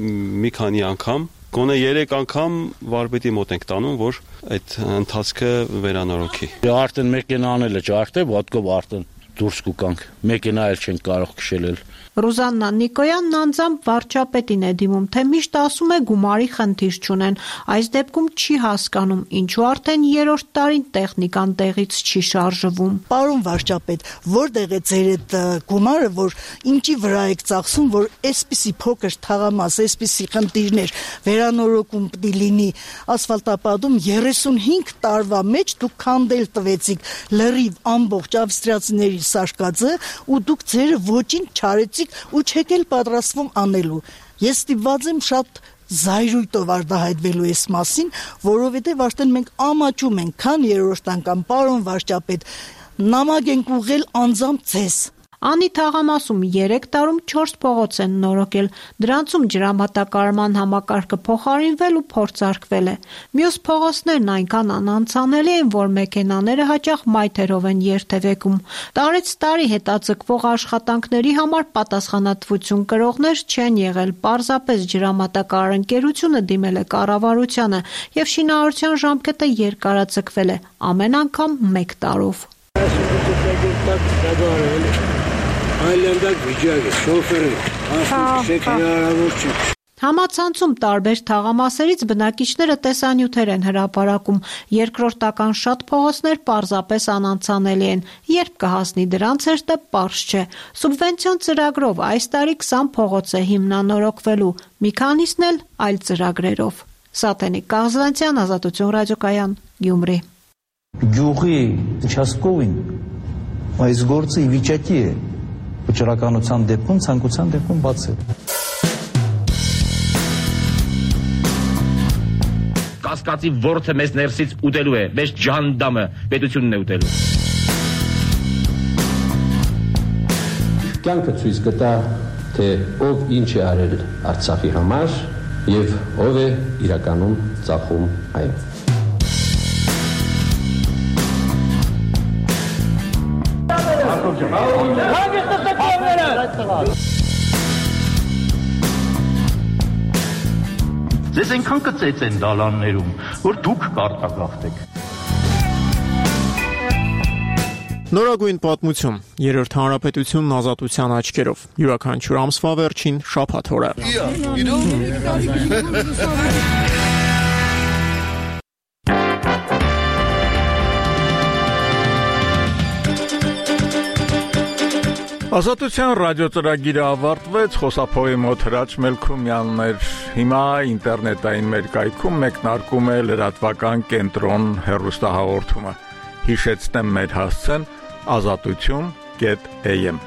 մի քանի անգամ Գոնե երեք անգամ վարպետի մոտ ենք տանում, որ այդ ընթացքը վերանորոգի։ Արդեն մեքենա անել է, չարդե ոտքով արդեն դուրս կուկանք։ Մեքենա էլ չենք կարող քշել։ Ռուզաննա Նիկոյանն անձամբ վարչապետին է դիմում, թե միշտ ասում է գումարի խնդիր չունեն։ Այս դեպքում չի հասկանում, ինչու արդեն երրորդ տարին տեխնիկան տեղից չի շարժվում։ Պարոն վարչապետ, որտեղ է ձեր այդ գումարը, որ ինչի վրա եք ծախսում, որ այսպիսի փոքր թաղամաս, այսպիսի խնդիրներ վերանորոգում պիտի լինի ասֆալտապատում երեսունհինգ տարվա մեջ դուք քանդել տվեցիք լրիվ ամբողջ ավստրիացիների սարկածը ու դուք ձերը ոչինչ չարեցիք ու չեք էլ պատրաստվում անելու։ Ես ստիպված եմ շատ զայրույթով արտահայտվելու այս մասին, որովհետև արդեն մենք ամաչում ենք, քան երրորդ անգամ, պարոն վարչապետ, նամակ ենք ուղղել անձամբ ձեզ։ Անի թաղամասում երեք տարում չորս փողոց են նորոգել, դրանցում ջրամատակարարման համակարգը փոխարինվել ու փորձարկվել է։ Մյուս փողոցներն այնքան անանցանելի են, որ մեքենաները հաճախ մայթերով են երթևեկում։ Տարեց տարի հետաձգվող աշխատանքների համար պատասխանատվություն կրողներ չեն եղել, պարզապես ջրամատակարար ընկերությունը դիմել է կառավարությանը եւ շինարարության ժամկետը երկարաձգվել է, ամեն անգամ մեկ տարով։ Այլանդակ վիճակ է, շոֆերը, ասում հնարավոր չէ։ Համացանցում տարբեր թաղամասերից բնակիչները տեսանյութեր են հրապարակում, երկրորդական շատ փողոցներ պարզապես անանցանելի են, երբ կհասնի դրանց հերթը պարզ չէ։ Սուբվենցիոն ծրագրով այս տարի քսան փողոց է հիմնանորոգվելու, մի քանիսն էլ այլ ծրագրերով։ Սաթենիկ Կաղզվանցյան, Ազատություն ռադիոկայան, Գյումրի։ Գյուղի участковին այս գործը ի վիճակի է վճռականության դեպքում, ցանկության դեպքում բացել։ Կասկածի ворթը մեզ ներսից ուտելու է, մեզ ջանդամը պետությունն է ուտելու։ Կյանքը ցույց կտա, թե ով ինչ է արել Արցախի համար եւ ով է իրականում ծախում այն։ Ձեզ այնքան կծեց են դալաններում, որ դուք կարտագաղթեք։ Նորագույն պատմություն, երրորդ հանրապետությունն ազատության աչքերով, յուրաքանչյուր ամսվա վերջին շաբաթ օրը։ Ազատության ռադիոծրագիրը ավարտվեց, խոսափողի մոտ Հրաչ Մելքումյանն էր, հիմա ինտերնետային մեր կայքում մեկնարկում է լրատվական կենտրոն հեռուստահաղորդումը։ Հիշեցնեմ մեր հասցեն ազատություն կետ էյ էմ